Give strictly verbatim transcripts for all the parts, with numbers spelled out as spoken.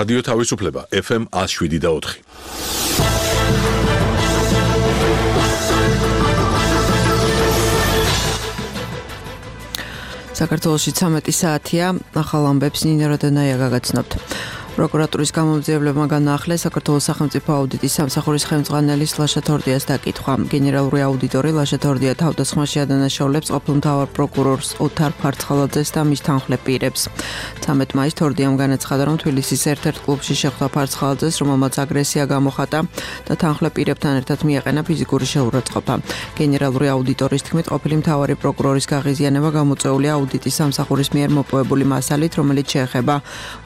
რადიო თავისუფლება ეფ ემ ათს შვიდი და ოთხი. საქართველოში ცამეტი საათია, ახალ ამბებს ნინო როდენაია გაგაცნობთ. პროკურატურის გამომძიებლებმა განაახლეს საქართველოს სახელმწიფო აუდიტის სამსახურის ხელმძღვანელის ლაშა თორდიას დაკითხვა. გენერალური აუდიტორი ლაშა თორდია თავდასხმაში ადანაშაულებს ყოფილ მთავარ პროკურორს ოთარ ფარცხალაძეს და მის თანხლებ პირებს. ცამეტ მაისს თორდიამ განაცხადა, რომ თბილისის ერთ-ერთ კლუბში შეხვდა ფარცხალაძეს, რომელმაც აგრესია გამოხატა და თანხლებ პირებთან ერთად მიაყენა ფიზიკური შეურაცხყოფა. გენერალური აუდიტორის თქმით, ყოფილი მთავარი პროკურორის გაღიზიანება გამოწვეულია აუდიტის სამსახურის მიერ მოპოვებული მასალით, რომელიც შეეხება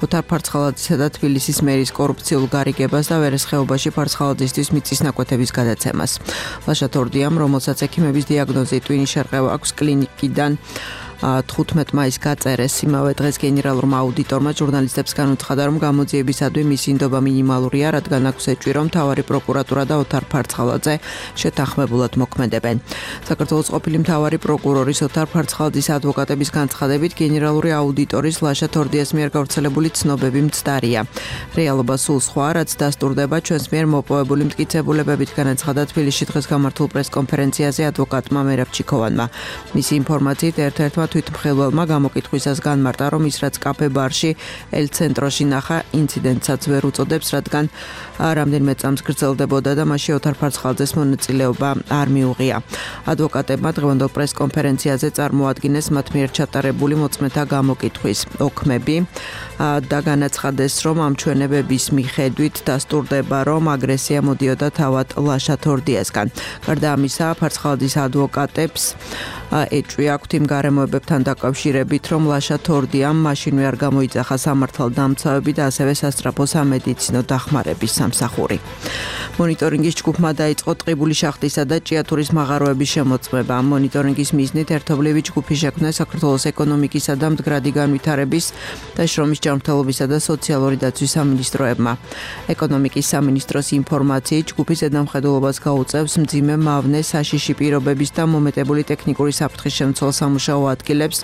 ოთარ ფარცხალაძეს და თბილისის მერის კორუფციულ გარიგებას და ვერესხეობაში ფარცხალაძისთვის მიწის ნაკვეთების გადაცემას. ლაშა თორდიამ, რომელსაც ექიმების დიაგნოზით ტვინის შერყევა აქვს კლინიკიდან თხუთმეტ მაისს გაწერეს, იმავე დღეს გენერალურმა აუდიტორმა ჟურნალისტებს განუცხადა, რომ გამოძიებისადმი მისი ინდობა მინიმალურია, რადგან აქვს ეჭვი, რომ მთავარი პროკურატურა და ოთარ ფარცხალაძე შეთანხმებულად მოქმედებენ. საქართველოს ყოფილი მთავარი პროკურორის ოთარ ფარცხალაძის ადვოკატების განცხადებით, გენერალური აუდიტორის ლაშა თორდიას მიერ გავრცელებული ცნობები მცდარია. რეალობა სულ სხვა, რაც დასტურდება ჩვენს მიერ მოპოვებული მტკიცებულებებით, განაცხადა თბილისში დღეს გამართულ პრესკონფერენციაზე ადვოკატმა მერაბ ჩიქოვანმა. მისი ინფორმაციით ერთ-ერთმა თვითმხილველმა გამოკითხვისას განმარტა, რომ ის რაც კაფე ბარში ელ ცენტროში ნახა ინციდენტსაც ვერ უწოდებს, რადგან რამდენიმე წამს გრძელდებოდა და მასში ოთარ ფარცხალაძეს მონაწილეობა არ მიუღია. ადვოკატებმა დღევანდელ პრესკონფერენციაზე წარმოადგინეს მათ მიერ ჩატარებული მოწმეთა გამოკითხვის ოქმები და განაცხადეს, რომ ამ ჩვენებების მიხედვით დასტურდება, რომ აგრესია მოდიოდა თავად ლაშა თორდიასგან. გარდა ამისა, ფარცხალაძის ადვოკატებს ეჭვი აქვთ იმ გარემოებებთან დაკავშირებით, რომ ლაშა თორდიამ მაშინვე არ გამოიძახა სამართალდამცავები და ასევე სასწრაფო სამედიცინო დახმარების სამსახური. მონიტორინგის ჯგუფმა დაიწყო ტყიბული შახტისა და ჭიათურის მაღაროების შემოწმება. მონიტორინგის მიზნით ერთობლივი ჯგუფი შექმნა საქართველოს ეკონომიკისა და მდგრადი განვითარების და შრომის ჯანმრთელობისა და სოციალური დაცვის სამინისტროებმა. ეკონომიკის სამინისტროს ინფორმაციით, ჯგუფის ზედამხედველობას გაუწევს მძიმე მავნე საშიში პირობების და მომეტებული ტექნიკური საფრთხის შემცველ სამუშაო ადგილებს,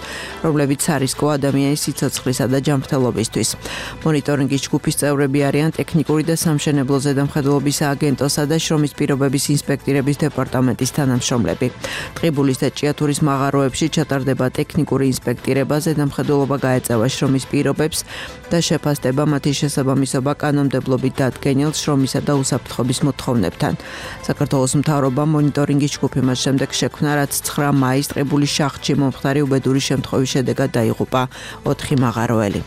რომლებიც სარისკო ადამიანის სიცოცხლისა და ჯანმრთელობისთვის. მონიტორინგის ჯგუფის წევრები არიან ტექნიკური და სამშენებლო ზედამხედველობის ააგენტოსა და შრომის პირობების ინსპექტირების დეპარტამენტის თანამშრომლები. ტყიბულის და ჭიათურის მაღაროებში ჩატარდება ტექნიკური ინსპექტირება, ზედამხედველობა გაეწევა შრომის პირობებს და შეფასდება მათი შესაბამისობა კანონმდებლობით დადგენილ შრომისა და უსაფრთხოების მოთხოვნებთან. საქართველოს მთავრობამ მონიტორინგის ჯგუფი მას შემდეგ შექმნა, რაც ცხრა მაისს ტყიბულის შახტში მომხდარი უბედური შემთხვევის შედეგად დაიღუპა ოთხი მაღაროელი.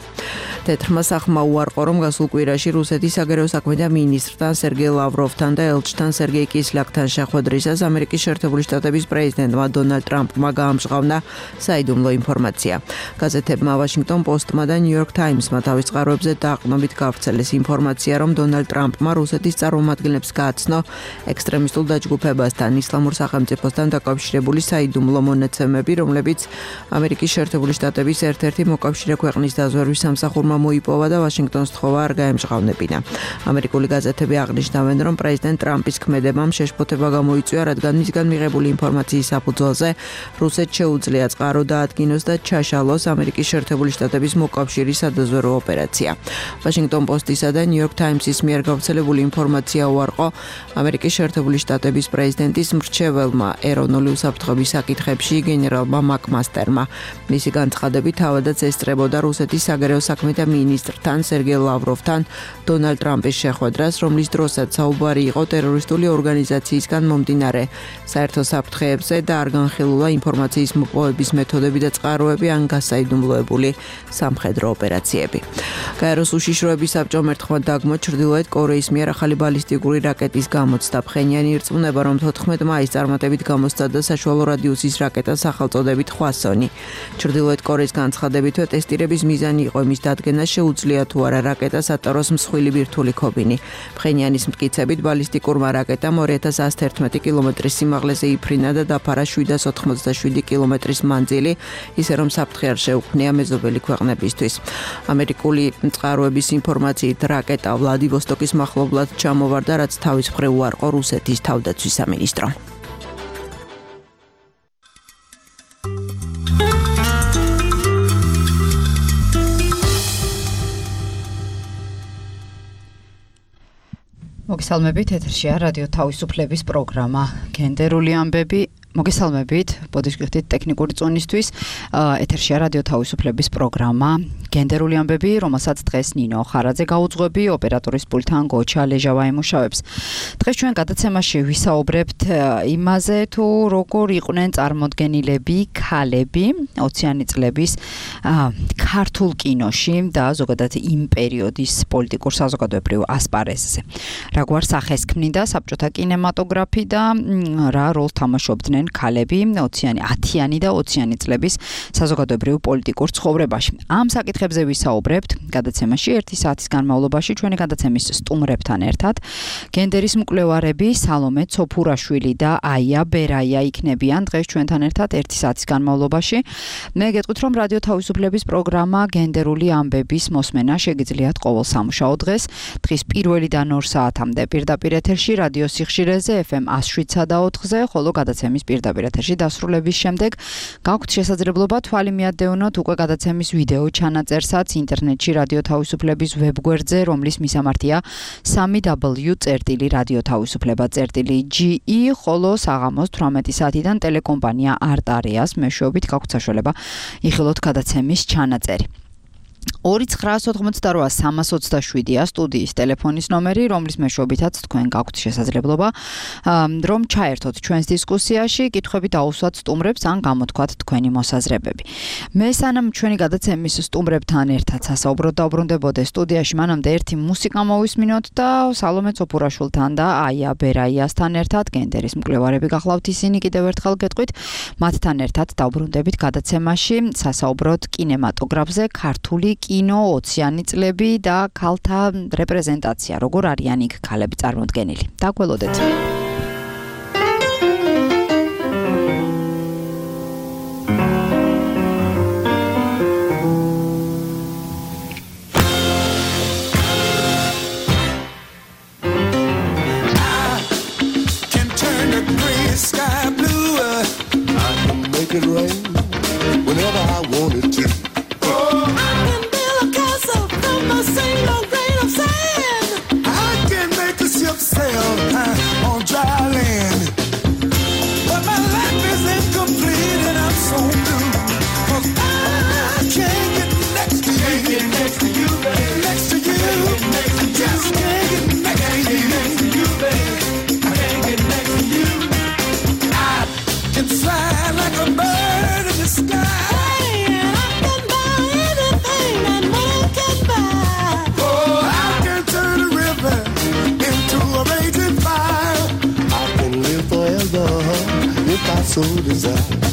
თეთრმა სახმა უარყო, რომ გასულ კვირაში რუსეთის საგარეო საქმეთა მინისტრთან სერგეი ლავროვთან და ელჩთან სერგეი კისლიაკთან შეხვედრისას ამერიკის შეერთებული შტატების პრეზიდენტმა დონალდ ტრამპმა გაამჟღავნა საიდუმლო ინფორმაცია. გაზეთებმა ვაშინგტონ პოსტმა და ნიუ-იორკ ტაიმსმა თავის წყაროებზე დაყრდნობით გავრცელეს ინფორმაცია, რომ დონალდ ტრამპმა რუსეთის წარმომადგენლებს გააცნო ექსტრემისტულ დაჯგუფებასთან, ისლამურ სახელმწიფოსთან დაკავშირებული საიდუმლო მონაცემები, რომლებიც ამერიკის შეერთებული შტატების ერთ-ერთი მოკავშირე ქვეყნის დაზვერვის სამსახურმა მოიპოვა და ვაშინგტონს თხოვა არ გაემჟღავნებინა. ამერიკული გაზეთები აღნიშნავენ, რომ პრეზიდენტ ტრამპის ქმედებამ შეშფოთება გამოიწვია, რადგან მისგან მიღებული ინფორმაციის საფუძველზე რუსეთს შეუძლია წყარო დაადგინოს და ჩაშალოს ამერიკის შეერთებული შტატების მოკავშირის სადაზვერვო ოპერაცია. ვაშინგტონ პოსტისა და ნიუ-იორკ ტაიმსის მიერ გავრცელებული ინფორმაცია უარყო ამერიკის შეერთებული შტატების პრეზიდენტის მრჩეველმა ეროვნული უსაფრთხოების საკითხებში გენერალმა მაკმასტერმა. მისი განცხადებით თავადაც ესწრებოდა რუსეთის საგარეო საქმეთა მინისტრთან სერგეი ლავროვთან დონალდ ტრამპის შეხვედრას, რომლის დროსაც საუბარი იყო ტერორისტული ორგანიზაციისგან მომდინარე საერთო საფრთხეებზე და არ განხილულა ინფორმაციის მოპოვების მეთოდები და წყაროები ან გასაიდუმლოებული სამხედრო ოპერაციები. გაეროს უშიშროების საბჭომ ერთხმად დაგმო ჩრდილოეთ კორეის მიერ ახალი ბალისტიკური რაკეტის გამოცდა. ფხენიანი ირწმუნება, რომ თოთხმეტ მაისს წარმატებით გამოსცადა საშუალო რადიუსის რაკეტა სახელწოდებით ხვასონი. ჩრდილოეთ კორეის განცხადებითვე ტესტირების მიზანი იყო იმის დადგენა, შეუძლია თუ არა რაკეტას ატაროს მსხვილი ბირთვული ქობინი. ფხენიანის მტკიცებით ბალისტიკურმა რაკეტამ ორი ათას ათს თერთმეტი კილომეტრის სიმაღლეზე იფრინა და დაფარა შვიდას ოთხმოცდაშვიდი კილომეტრის მანძილი, ისე რომ საფრთხე არ შეუქმნია მეზობელი ქვეყნებისთვის. ამერიკული წყაროების ინფორმაციით რაკეტა ვლადივოსტოკის მახლობლად ჩამოვარდა, რაც თავის მხრივ უარყო რუსეთის თავდაცვის სამინისტრო. მოგესალმებით, ეთერშია რადიო თავისუფლების პროგრამა გენდერული ამბები. მოგესალმებით, ბოდიშკიხთით ტექნიკური წონისთვის. ეთერშია რადიო თავისუფლების პროგრამა გენდერული ამბები, რომელსაც დღეს ნინო ხარაძე გაუძღვები, ოპერატორის პულტთან გოჩა ლეჟავა ემუშავებს. დღეს ჩვენ გადაცემაში ვისაუბრებთ იმაზე, თუ როგორ იყვნენ წარმოდგენილები ქალები ოციანი წლების ქართულ კინოში და ზოგადად იმ პერიოდის პოლიტიკურ საზოგადოებრივ ასპარეზზე. რაგვარ სახეს ქმნიდა საბჭოთა კინემატოგრაფი და რა როლს თამაშობდნენ ქალები ოციანი, ათიანი და ოციანი წლების საზოგადოებრივ პოლიტიკურ ცხოვრებაში. ამ საკითხებზე ვისაუბრებთ გადაცემაში ერთი საათის განმავლობაში ჩვენი გადაცემის სტუმრებთან ერთად. გენდერის მკვლევარები სალომე ცოფურაშვილი და აია ბერაია იქნებიან დღეს ჩვენთან ერთად ერთი საათის განმავლობაში. მე გეტყვით, რომ რადიო თავისუფლების პროგრამა გენდერული ამბების მოსმენა შეგიძლიათ ყოველ სამუშაო დღეს, დღის პირველიდან ორ საათამდე პირდაპირ ეთერში რადიო სიხშირეზე ეფ ემ one oh seven და ოთხზე, ხოლო გადაცემის პირდაპირ ეთერში დასრულების შემდეგ გაქვთ შესაძლებლობა თვალი მიადევნოთ უკვე გადაცემის ვიდეო ჩანაწერსაც ინტერნეტში რადიო თავისუფლების ვებგვერდზე, რომლის მისამართია www წერტილი რადიო თავისუფლება წერტილი ჯი ი, ხოლო საღამოს თვრამეტი საათიდან ტელეკომპანია არტარიას მეშვეობით გაქვთ საშუალება იხილოთ გადაცემის ჩანაწერი. ორი ცხრა ოთხმოცდარვა სამას ოცდაშვიდია სტუდიის ტელეფონის ნომერი, რომლის მეშვეობითაც თქვენ გაქვთ შესაძლებლობა რომ ჩაერთოთ ჩვენს დისკუსიაში, კითხვები დაუსვათ სტუმრებს ან გამოთქვათ თქვენი მოსაზრებები. მე სანამ ჩვენი გადაცემის სტუმრებთან ერთად სასაუბროდ დავბრუნდებოდე სტუდიაში, მანამდე ერთი მუსიკა მოვისმინოთ და სალომე ცოფურაშვილთან და აია ბერაიასთან ერთად გენდერის მკვლევარები გახლავთ ისინი, კიდევ ერთხელ გეტყვით, მათთან ერთად დავბრუნდებით გადაცემაში სასაუბროდ კინემატოგრაფზე, ქართული კინო ოციანი წლები და ქალთა რეპრეზენტაცია, როგორ არიან იქ ქალები წარმოდგენილი. დაგველოდეთ. So desire.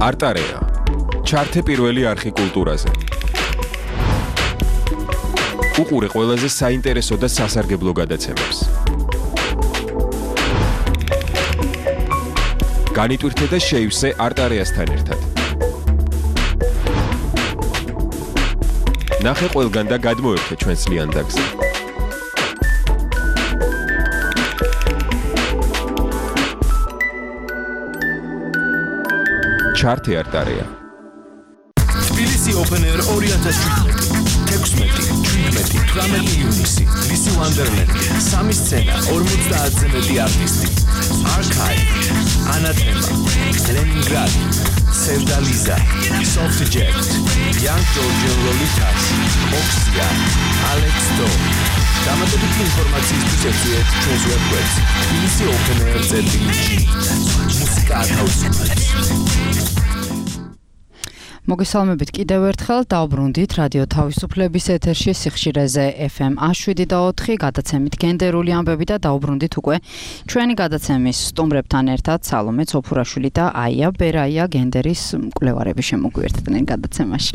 არტარია. ჩართე პირველი არხი კულტურაზე. უყურე ყველაზე საინტერესო და სასარგებლო გადაცემებს. განიტვირთე და შეივსე არტარიასთან ერთად. ნახე ყველგან და გადმოერთე ჩვენს ლიანდაგზე. ჩარტი არტარია. თბილისი Open Air ორი ათას შვიდმეტი, თექვსმეტი, შვიდმეტი, თვრამეტი ივნისი, ლისი Wonderland, სამი სცენა, ორმოცდაათზე მეტი არტისტი, Archive, Anathema, Leningrad, Sevdaliza, Soft Jet, Young Georgian Lolitas, Oxia, Alex Do. დამატებითი ინფორმაციისთვის ეწვიეთ ჩვენს ვებგვერდს თბილისი Open Air ზეტი ჯი. მუსიკა ათავისუფლებს. მოგესალმებით კიდევ ერთხელ დაუბრუნდით რადიო თავისუფლების ეთერში სიხშირეზე ეფ ემ შვიდი და ოთხი გადაცემით გენდერული ამბები და დაუბრუნდით უკვე ჩვენი გადაცემის სტუმრებთან ერთად სალომე ცოფურაშვილი და აია ბერაია გენდერის მკვლევარები შემოგვიერთდნენ გადაცემაში.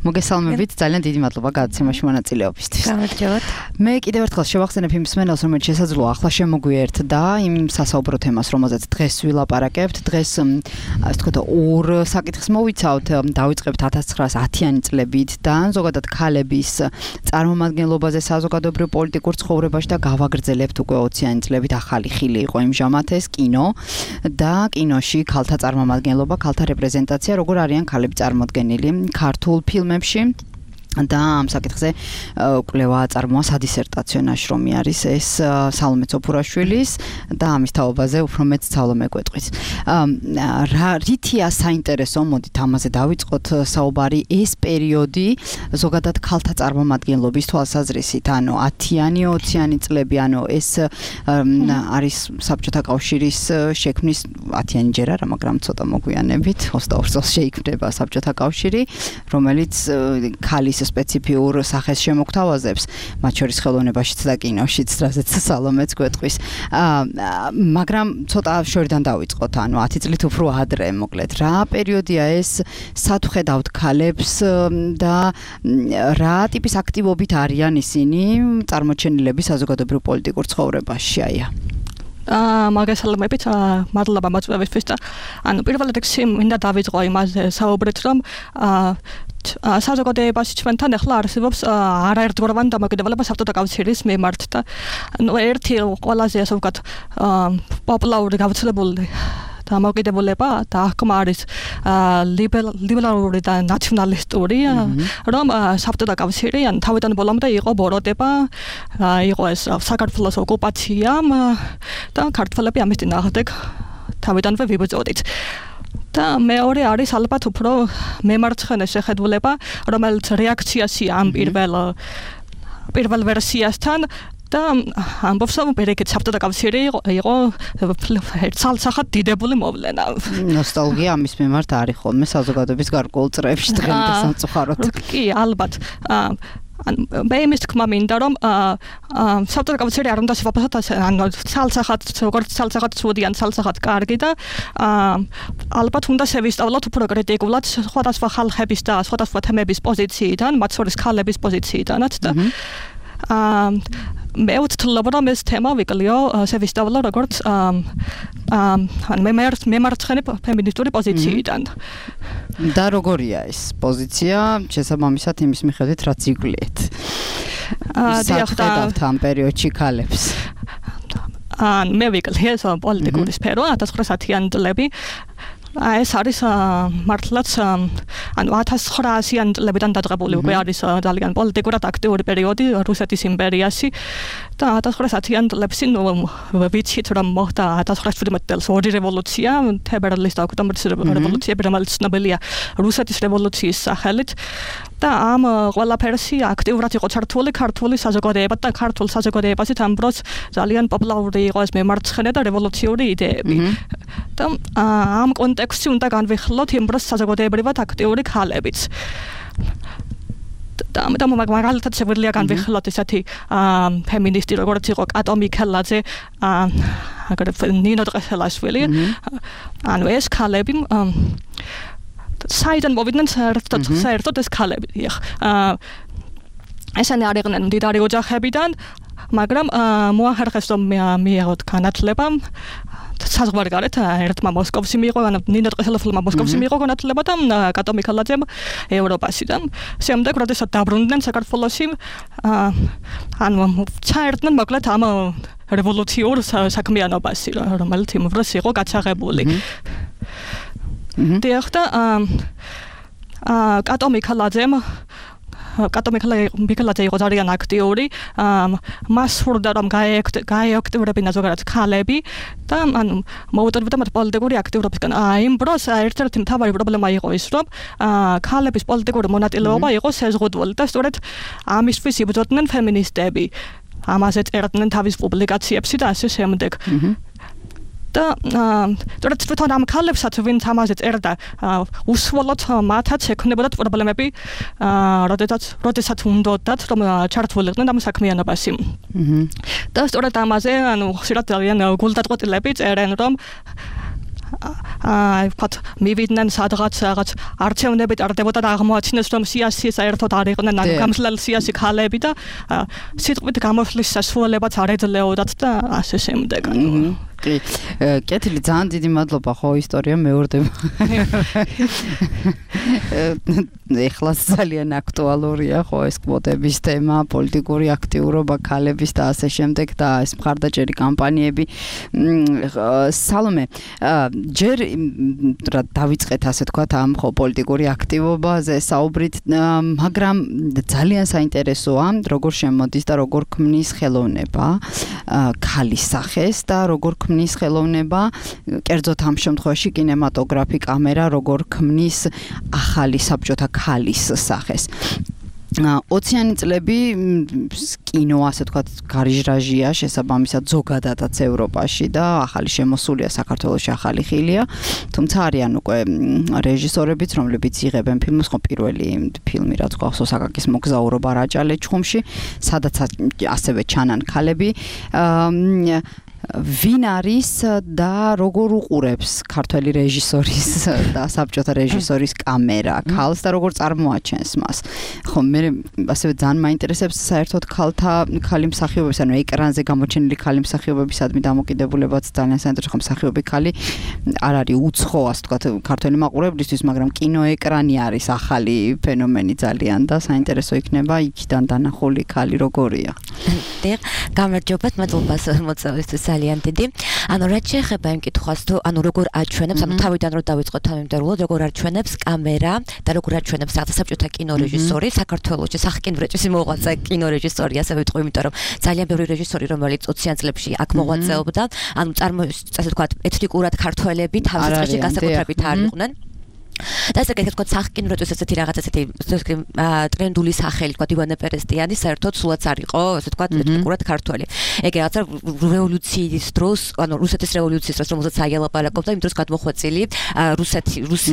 მოგესალმებით, ძალიან დიდი მადლობა გადაცემაში მონაწილეობისთვის. გამარჯობათ. მე კიდევ ერთხელ შევახსენებ იმ მსმენელს, რომელიც შესაძლოა ახლა შემოგვიერთდა იმ სასაუბრო თემას, რომელზეც დღეს ვილაპარაკებთ. დღეს ასე ვთქვათ ორ საკითხს მოვიცავთ. დავიწყებთ ათას ცხრაასი ათიანი წლებით და ზოგადად ქალების წარმომადგენლობაზე საზოგადოებრივ პოლიტიკურ ცხოვრებაში და გავაგრძელებთ უკვე ოციანი წლებით ახალი ხილი იყო იმჟამად ეს კინო და კინოში ქალთა წარმომადგენლობა, ქალთა რეპრეზენტაცია, როგორ არიან ქალები წარმოდგენილი ქართულ ფილმებში. და ამ საკითხზე კვლევა აწარმოა სადისერტაციო ნაშრომი არის ეს სალომე ცოფურაშვილის და ამის თაობაზე უფრო მეც სალომე გვეტყვის. რა რითია საინტერესო, მოდით ამაზე დავიწყოთ საუბარი ეს პერიოდი ზოგადად ქალთა წარმომადგენლობის თვალსაზრისით, ანუ ათიანი ოციანი წლები, ანუ ეს არის საბჭოთა კავშირის შექმნის ათიანი ჯერ არა, მაგრამ ცოტა მოგვიანებით ოცდაორ წელს შეიქმნება საბჭოთა კავშირი, რომელიც ქალის სპეციფიურ სახეს შემოგთავაზებს, მათ შორის ხელოვნებაშიც და კინოშიც, რასაც სალომეც გვეტყვის. მაგრამ ცოტა შორიდან დავიწყოთ, ანუ ათი წლით უფრო ადრე, მოკლედ, რა პერიოდია ეს, სად ვხედავთ ქალებს და რა ტიპის აქტივობით არიან ისინი წარმოჩენილები საზოგადოებრივ პოლიტიკურ ცხოვრებაში, აია? აა მაგასალმებით, მადლობა მოწვევისთვის და ანუ პირველ რიგში მინდა დავიწყო იმაზე საუბრით, რომ აა საზოგადოებაში ჩვენთან ახლა არსებობს არაერთგვაროვანი დამოკიდებულება საბჭოთა კავშირის მიმართ და ანუ ერთი ყველაზე ასე ვთქვათ პოპულარული გავრცელებული დამოკიდებულება და აღქმა არის ლიბერალური და ნაციონალისტური, რომ საბჭოთა კავშირი ან თავიდან ბოლომდე იყო ბოროტება, იყო ეს საქართველოს ოკუპაცია და ქართველები ამის წინააღმდეგ თავიდანვე ვიბრძოდით. და მეორე არის ალბათ უფრო მემარცხენე შეხედულება, რომელიც რეაქციასია ამ პირველ პირველ ვერსიასთან და ამბობს, რომ პერიკეთ საბჭოთა კავშირი იყო ცალსახად დიდებული მოვლენა. ნოსტალგია ამის მიმართ არის ხოლმე საზოგადოების გარკვეულ წრეებში დღემდე სამწუხაროდ. კი, ალბათ. მე იმის თქმა მინდა, რომ საბჭოთა კავშირი არ უნდა შევაფასოთ ანუ ცალსახად, როგორც ცალსახად ცუდიან, ცალსახად კარგი და ალბათ უნდა შევისწავლოთ უფრო კრიტიკულად სხვადასხვა ხალხების და სხვადასხვა თემების პოზიციიდან, მათ შორის ქალების პოზიციიდანაც და მე ვთვლობ, რომ ეს თემა ვიკლიო შევისწავლო როგორც მემარცხენე ფემინისტური პოზიციიდან. და როგორია ეს პოზიცია, შესაბამისად იმის მიხედვით რაც იგვლიეთ. სად ხედავთ ამ პერიოდში ქალებს? მე ვიკლი ეს პოლიტიკური სფერო ათას ცხრაასიანი წლები. ეს არის მართლაც ანუ ათას ცხრაასიანი წლებიდან დადღებული უკვე არის ძალიან პოლიტიკურად აქტიური პერიოდი რუსეთის იმპერიაში და ათას ცხრაასიანი წლებში ნუ ვიცით რომ მოხდა ათას ცხრაასი შვიდმეტი წელს ორი რევოლუცია, თებერვლის და ოქტომბრის რევოლუცია, რომელიც ცნობილია რუსეთის რევოლუციის სახელით და ამ ყველაფერში აქტიურად იყო ჩართული ქართული საზოგადოება და ქართულ საზოგადოებაში ამ დროს ძალიან პოპულარული იყო ეს მემარცხენე და რევოლუციური იდეები. და ამ კონტექსტში უნდა განვიხილოთ იმ დროს საზოგადოებრივად აქტიური ქალებიც. და ამიტომ მაგალითად შეგვიძლია განვიხილოთ ესეთი ფემინისტი როგორც იყო კატო მიქელაძე, აგრეთვე ნინო დღესელაშვილი. ანუ ეს ქალები საიდან მოვიდნენ საერთოდ საერთოდ ეს ქალები. ესენი არიყვნენ მდიდარი ოჯახებიდან, მაგრამ მოახერხეს რომ მიიღოთ განათლება საზღვარი გარეთ ერთმა მოსკოვში მიიღო, ანუ ნინო ტყეშელოფილმა მოსკოვში მიიღო განათლება და კატო მიქელაძემ ევროპაში და შემდეგ როდესაც დაბრუნდნენ საქართველოში, ანუ ჩაერთნენ მოკლედ ამ რევოლუციურ საქმიანობაში, რომელიც იმ დროს იყო გაჩაღებული. დიახ და კატო მიქელაძემ კატო მიქელაძე იყო ძალიან აქტიური, მას სურდა რომ გაეაქტიურებინა ზოგადად ქალები და ანუ მოუწოდებდა მათ პოლიტიკური აქტიურობისგან. იმ დროს ერთ-ერთი მთავარი პრობლემა იყო ის, რომ ქალების პოლიტიკური მონაწილეობა იყო შეზღუდული და სწორედ ამისთვის იბრძოდნენ ფემინისტები. ამაზე წერდნენ თავის პუბლიკაციებში და ასე შემდეგ. და თორე თვითონ ამ ქალებსაც ვინც ამაზე წერდა უსვოლოდ მათაც ექნებოდათ პრობლემები როდესაც როდესაც უნდათ რომ ჩართულიყვნენ ამ საქმიანობაში. და სწორედ ამაზე ანუ ხშირად ძალიან გულდაწყვეტილები წერენ რომ აი ვთქვათ მივიდნენ სადღაც რაღაც არჩევნები ტარდებოდა და აღმოაჩინეს რომ სიასი საერთოდ არ იყვნენ ანუ გამძლეა სიასი ქალები და სიტყვით გამოსვლის სასუალებაც არ ეძლეოდათ და ასე შემდეგ. კი, კეთილი, ძალიან დიდი მადლობა ხო ისტორია მეორდება. ეხლა ძალიან აქტუალურია ხო ეს კვოტების თემა, პოლიტიკური აქტიურობა ქალების და ასე შემდეგ და ეს მხარდაჭერი კამპანიები. სალომე, ჯერ რა დავიწყეთ ასე თქვა ამ ხო პოლიტიკური აქტივობაზე საუბრით, მაგრამ ძალიან საინტერესოა როგორ შემოდის და როგორ ქმნის ხელოვნება ქალის სახეს და როგორ ქმნის ხელოვნება, კერძოდ ამ შემთხვევაში კინემატოგრაფი, კამერა როგორ ქმნის ახალი საბჭოთა ქალის სახეს. ოციანი წლები კინო ასე ვთქვათ გარიჟრაჟია შესაბამისად ზოგადადაც ევროპაში და ახალი შემოსულია საქართველოში ახალი ხილია, თუმცა არიან უკვე რეჟისორებიც, რომლებიც იღებენ ფილმს, ხო პირველი ფილმი რაც გვახსოვს აკაკის მოგზაურობა რაჭალე ჩხუმში, სადაც ასევე ჩანან ქალები. ვინ არის და როგორ უყურებს ქართველი რეჟისორის და საბჭოთა რეჟისორის კამერა ქალს და როგორ წარმოაჩენს მას? ხო, მე ასევე ძალიან მაინტერესებს საერთოდ ქალთა ქალი მსახიობების, ანუ ეკრანზე გამოჩენილი ქალი მსახიობებისადმი დამოკიდებულებაც ძალიან საინტერესო, ხო მსახიობი ქალი არ არის უცხო, ასე ვთქვათ, ქართველი მაყურებლისთვის, მაგრამ კინოეკრანი არის ახალი ფენომენი ძალიან და საინტერესო იქნება იქიდან დანახული ქალი როგორია. დიახ, გამარჯობათ, მადლობა მოწვევისთვის. ძალიან დიდი. ანუ რაც შეეხება იმ კითხვას, თუ ანუ როგორ აჩვენებს, ანუ თავიდან რო დავიწყოთ ამიმდერულოდ, როგორ აჩვენებს კამერა და როგორ აჩვენებს რაღაცა საბჭოთა კინორეჟისორი საქართველოში, სახკინვრეჭის მოღვაწე კინორეჟისორი, ასე ვიტყვი, იმიტომ რომ ძალიან ბევრი რეჟისორი, რომელიც ოციან წლებში აქ მოღვაწეობდა, ანუ წარმოიშ, ასე ვთქვათ, ეთნიკურად ქართველები თავის წრეში განსაკუთრებით არ იყვნენ. და ესე გეთქვათ სახკინვრეჭის ესეთი რაღაც ესეთი ტრენდული სახელი, თქვა ივანე პერესტიანი, საერთოდ სულაც არ იყო, ასე ვთქვათ, ეთნიკურად ქართველი. ეგ რაღაცა რევოლუციის დროს, ანუ რუსეთის რევოლუციის დროს, რომელსაც აიალაპარაკობდა, იმ დროს გადმოხვეწილი რუსეთი, რუსი,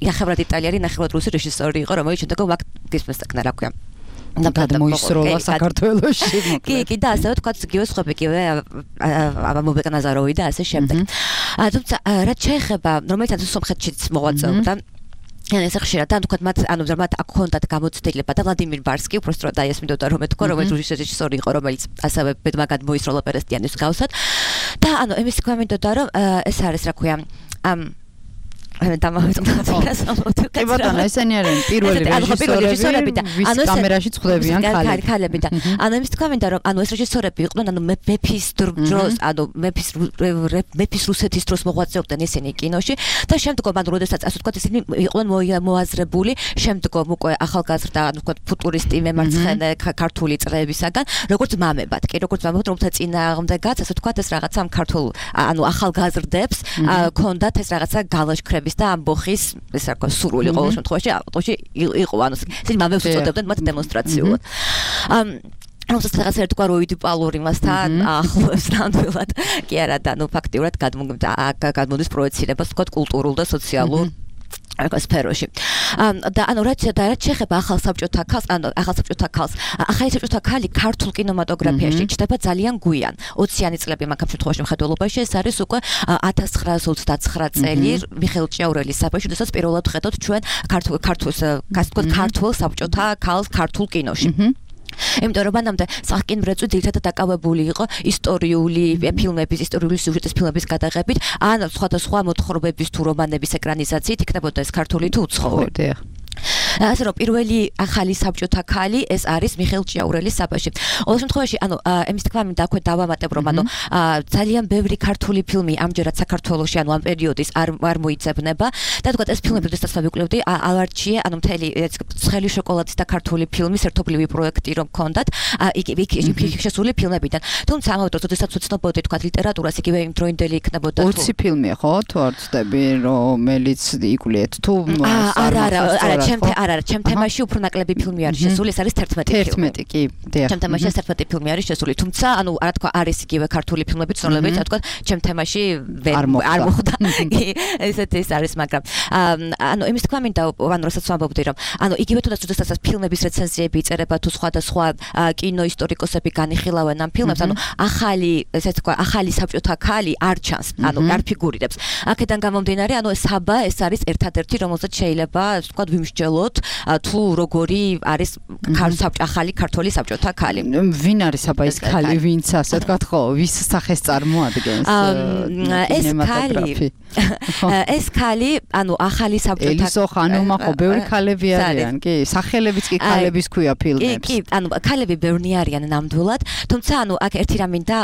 ნახევრად იტალიელი, ნახევრად რუსი რეჟისორი იყო, რომელიც შემდეგ აქ გისმესტაკნა, რა ქვია. და გადმოისროლა საქართველოში. კი, კი, და ასე ვთქვათ, იგივე სხვები, იგივე ამობეკა ნაზაროვი და ასე შემდეგ. თუმცა რაც შეეხება, რომელიცაც სომხეთშიც მოღვაწეობდა, ან ეს ხშირად და თქვა მათ ანუ მათ აქ ჰქონდათ გამოცდილება და ვლადიმირ ბარსკი უბრალოდ დაესმინდოდა რომ ეთქვა რომელიც რუსეთის რეჟისორი იყო რომელიც ასევე ბედმა გადმოისროლა პერესტიანის გავსად და ანუ εμείς გვამინდოდა რომ ეს არის რა ქვია ამ მე დამავიწყდა. კი ბატონო, ესენი არიან პირველი რეჟისორები და ანუ კამერაში წვდებიან ქალები. ქალები და ანუ იმის თქვა მინდა რომ ანუ ეს რეჟისორები იყვნენ ანუ მეფის დროს, ანუ მეფის მეფის რუსეთის დროს მოღვაწეობდნენ ესენი კინოში და შემდგომ ანუ როდესაც ასე ვთქვათ ესენი იყვნენ მოაზრებული, შემდგომ უკვე ახალგაზრდა ანუ ვთქვათ ფუტურისტი მემარცხენე ქართული წრეებისაგან, როგორც მამებად, კი როგორც მამებად, რომელთა წინააღმდეგაც ასე ვთქვათ ეს რაღაცა ქართულ ანუ ახალგაზრდებს ქონდათ ეს რაღაცა გალაშქრები და ამბოხის ეს რა ქვია სურვილი ყოველ შემთხვევაში ავტოში იყო ანუ ისინი მამებს უწოდებდნენ მათ დემონსტრაციულად. ამ რომელსაც რაღაც ერთგვაროვიდი პალური მასთან ახლოს ნამდვილად კი არა და ნუ ფაქტიურად გადმოდის პროექცირებას თქვა კულტურულ და სოციალურ სფეროში. და ანუ რაც რაც შეეხება ახალ საბჭოთა ქალს, ანუ ახალ საბჭოთა ქალს, ახალი საბჭოთა ქალი ქართულ კინემატოგრაფიაში ჩნდება ძალიან გვიან. ოციანი წლები მაგ შემთხვევაში მხედველობაში ეს არის უკვე ათას ცხრაასი ოცდაცხრა წელი მიხეილ ჭიაურელის საფოში, როდესაც პირველად ხედავთ ჩვენ ქართულ ქართულს, ასე ვთქვათ, ქართულ საბჭოთა ქალს ქართულ კინოში. იმიტომ რომ მანამდე სახკინბრეწვი ძირითადად დაკავებული იყო ისტორიული ფილმების, ისტორიული სიუჟეტის ფილმების გადაღებით, ან სხვადასხვა მოთხრობების თუ რომანების ეკრანიზაციით იქნებოდა ეს ქართული თუ უცხოური. ასე რომ პირველი ახალი საბჭოთა ქალი ეს არის მიხეილ ჭიაურელის საბაში. ყოველ შემთხვევაში, ანუ ემის თქმა მინდა აქვე დავამატებ, რომ ანუ ძალიან ბევრი ქართული ფილმი ამჯერად საქართველოში, ანუ ამ პერიოდის არ არ მოიძებნება და თქვა ეს ფილმები, როდესაც მოვიკვლიდი, ალარჩიე, ანუ მთელი ცხელი შოკოლადის და ქართული ფილმის ერთობლივი პროექტი რომ ქონდათ, იქ იქ შესული ფილმებიდან. თუმცა ამავე დროს, როდესაც ვცნობოდი თქვა ლიტერატურას, იგივე იმ დროინდელი იქნებოდა თუ ოცი ფილმია, ხო? თუ არ ვცდები, რომელიც იკვლიეთ თუ არა, არა, არა, ჩემ არა, ჩემ თემაში უფრო ნაკლები ფილმი არის შესული, ეს არის თერთმეტი ფილმი. თერთმეტი, კი, დიახ. ჩემ თემაში თერთმეტი ფილმი არის შესული, თუმცა, ანუ რა თქვა, არის იგივე ქართული ფილმები, ცნობილები, რა თქვა, ჩემ თემაში არ მოხდა. ესეთ ეს არის, მაგრამ ანუ იმის თქმა მინდა, ანუ რასაც ვამბობდი, რომ ანუ იგივე თუნდაც როდესაც ფილმების რეცენზიები იწერება თუ სხვადასხვა კინოისტორიკოსები განიხილავენ ამ ფილმებს, ანუ ახალი, ესე თქვა, ახალი საბჭოთა ქალი არ ჩანს, ანუ არ ფიგურირებს. აქედან გამომდინარე, ანუ საბა ეს არის ერთადერთი, რომელზეც შეიძლება, თქვა, ვიმსჯელოთ თუ როგორი არის ახალი ქართული საბჭოთა ქალი. ვინ არის აბა ეს ქალი, ვინც ასე თქვა ხო, ვის სახეს წარმოადგენს? ეს ქალი ეს ქალი, ანუ ახალი საბჭოთა ელისო ხანუმა ხო ბევრი ქალები არიან, კი? სახელებიც კი ქალების ქვია ფილმებს. კი, ანუ ქალები ბევრი არიან ნამდვილად, თუმცა ანუ აქ ერთი რამ მინდა,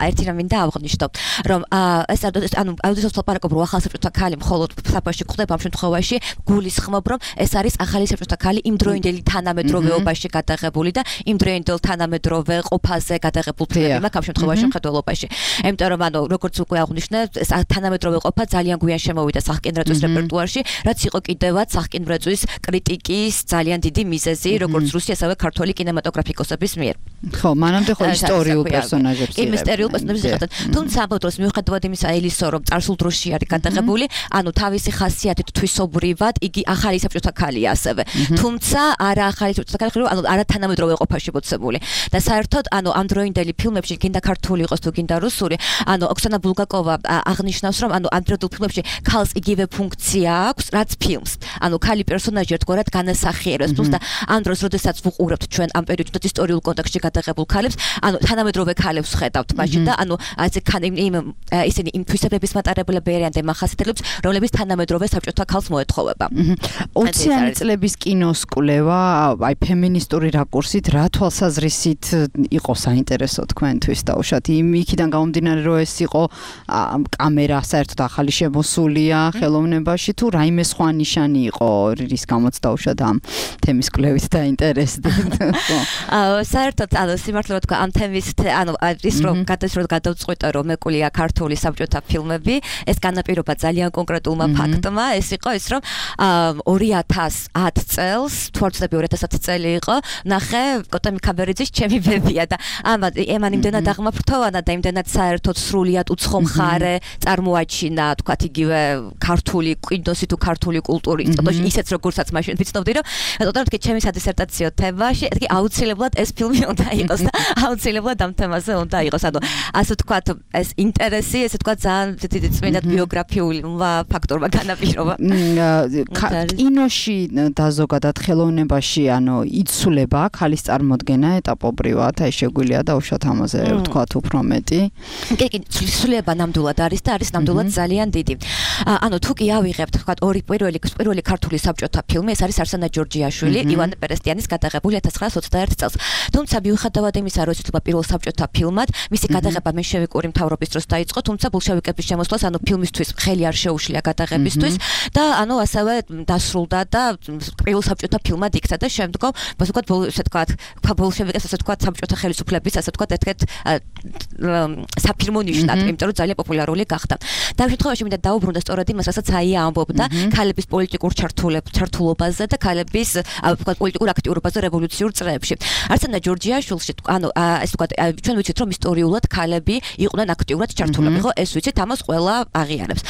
ერთი რამ მინდა აღვნიშნო, რომ ეს ანუ აუდიტორს ვთვალყარაკობ, რომ ახალი საბჭოთა ქალი მხოლოდ საბაში გვხდება ამ შემთხვევაში, გულისხმობ, რომ ეს არის ახალი საბჭოთა ქალი იმ დროინდელი თანამედროვეობაში გადაღებული და იმ დროინდელ თანამედროვე ყოფაზე გადაღებულ ფილმები მაქვს ამ შემთხვევაში მხედველობაში. იმიტომ რომ ანუ როგორც უკვე აღვნიშნე, ეს თანამედროვე ყოფა ძალიან გვიან შემოვიდა სახკინბრეწვის რეპერტუარში, რაც იყო კიდევაც სახკინბრეწვის კრიტიკის ძალიან დიდი მიზეზი, როგორც რუსი, ასევე ქართული კინემატოგრაფიკოსების მიერ. ხო, მანამდე ხო ისტორიულ პერსონაჟებს კი, ისტორიულ პერსონაჟებს იხატეთ. თუმცა ამ დროს მიუხედავად იმისა, ელისო რომ წარსულ დროში არის გადაღებული, ანუ თავისი ხასიათით თვისობრივად იგი ახალი საბჭოთა ქალია ასევე. თუმცა არა ახალი საბჭოთა ქალი, ანუ არა თანამედროვე ყოფაში მოცემული. და საერთოდ ანუ ამ დროინდელი ფილმებში, გინდა ქართული იყოს თუ გინდა რუსული, ანუ ოქსანა ბულგაკოვა აღნიშნავს, რომ ანუ ამ დროინდელ ფილმებში ქალს იგივე ფუნქცია აქვს, რაც ფილმს. ანუ ქალი პერსონაჟი ერთგვარად განასახიერებს. თუმცა ამ დროს, როდესაც ვუყურებთ ჩვენ ამ პერიოდში ისტორიულ კონტექსტში გადაღებულ ქალებს, ანუ თანამედროვე ქალებს ხედავთ მაშინ და ანუ ასე იმ ისინი იმ თვისებების მატარებლები არიან და მახასიათებლებს, რომლებიც თანამედროვე საბჭოთა ქალს მოეთხოვება. ოციანი წლების კინოს კვლევა, აი ფემინისტური რაკურსით, რა თვალსაზრისით იყო საინტერესო თქვენთვის დაუშვათ? იმ იქიდან გამომდინარე, რომ ეს იყო კამერა საერთოდ ახალი შემოსულია ხელოვნებაში თუ რაიმე სხვა ნიშანი იყო, რის გამოც დაუშვათ ამ თემის კვლევით დაინტერესდით? აა საერთოდ ანუ სიმართლე ვთქვა, ამ თემის ანუ ის რომ გადასროლ გადავწყვიტე რომ მეკვლია ქართული საბჭოთა ფილმები, ეს განაპირობა ძალიან კონკრეტულმა ფაქტმა, ეს იყო ის რომ ორი ათას ათ წელს, თუ არ ვცდები ორი ათას ათი წელი იყო, ნახე კოტემი ქაბერიძის ჩემი ბებია და ამან ემან იმდენად აღმაფრთოვანა და იმდენად საერთოდ სრულიად უცხო მხარე წარმოაჩინა, თქვათ იგივე ქართული კინოსი თუ ქართული კულტურის, ისეც როგორცაც მაშინ ვიცნობდი რომ თქო ჩემი სადისერტაციო თემაში, თქო აუცილებლად ეს ფილმი უნდა იყოს და აუცილებლად ამ თემაზე უნდა იყოს. ანუ ასე თქვათ ეს ინტერესი, ესე თქვათ ძალიან დიდი წმინდად ბიოგრაფიული ფაქტორმა განაპირობა. კინოში და ზოგადად ხელოვნებაში, ანუ იცვლება ქალის წარმოდგენა ეტაპობრივად, აი შეგვიძლია დაუშვათ ამაზე ვთქვათ უფრო მეტი. კი, კი, იცვლება ნამდვილად არის და არის ნამდვილად ძალიან დიდი. ანუ თუ კი ავიღებთ, ვთქვათ, ორი პირველი პირველი ქართული საბჭოთა ფილმი, ეს არის არსენა ჯორჯიაშვილი, ივანე პერესტიანის გადაღებული ათას ცხრაას ოცდაერთი წელს. თუმცა მიუხედავად იმისა, რომ იცვლება პირველ საბჭოთა ფილმად, მისი გადაღება მენშევიკური მთავრობის დროს დაიწყო, თუმცა ბოლშევიკების შემოსვლას, ანუ ფილმისთვის ხელი არ შეუშლია გადაღებისთვის და ანუ ასევე დასრულდა და პირველ საბჭოთა ფილმად იქცა და შემდგომ, ასე ვთქვათ, ესე ვთქვათ, ბოლშევიკებს ასე ვთქვათ, საბჭოთა ხელისუფლების ასე ვთქვათ, ერთ-ერთ საფილმო ნიშნად, იმიტომ რომ ძალიან პოპულარული გახდა. და ამ შემთხვევაში მინდა დაუბრუნდე სწორედ იმას, რასაც აია ამბობდა ქალების პოლიტიკურ ჩართულობაზე და ქალების, ასე ვთქვათ, პოლიტიკურ აქტიურობაზე რევოლუციურ წრეებში. არსენა ჯორჯიაშვილი საერთაშორისო ანუ ეს თქვა ჩვენ ვიცით რომ ისტორიულად ქალები იყვნენ აქტიურად ჩართულები ხო ეს ვიცით ამას ყველა აღიარებს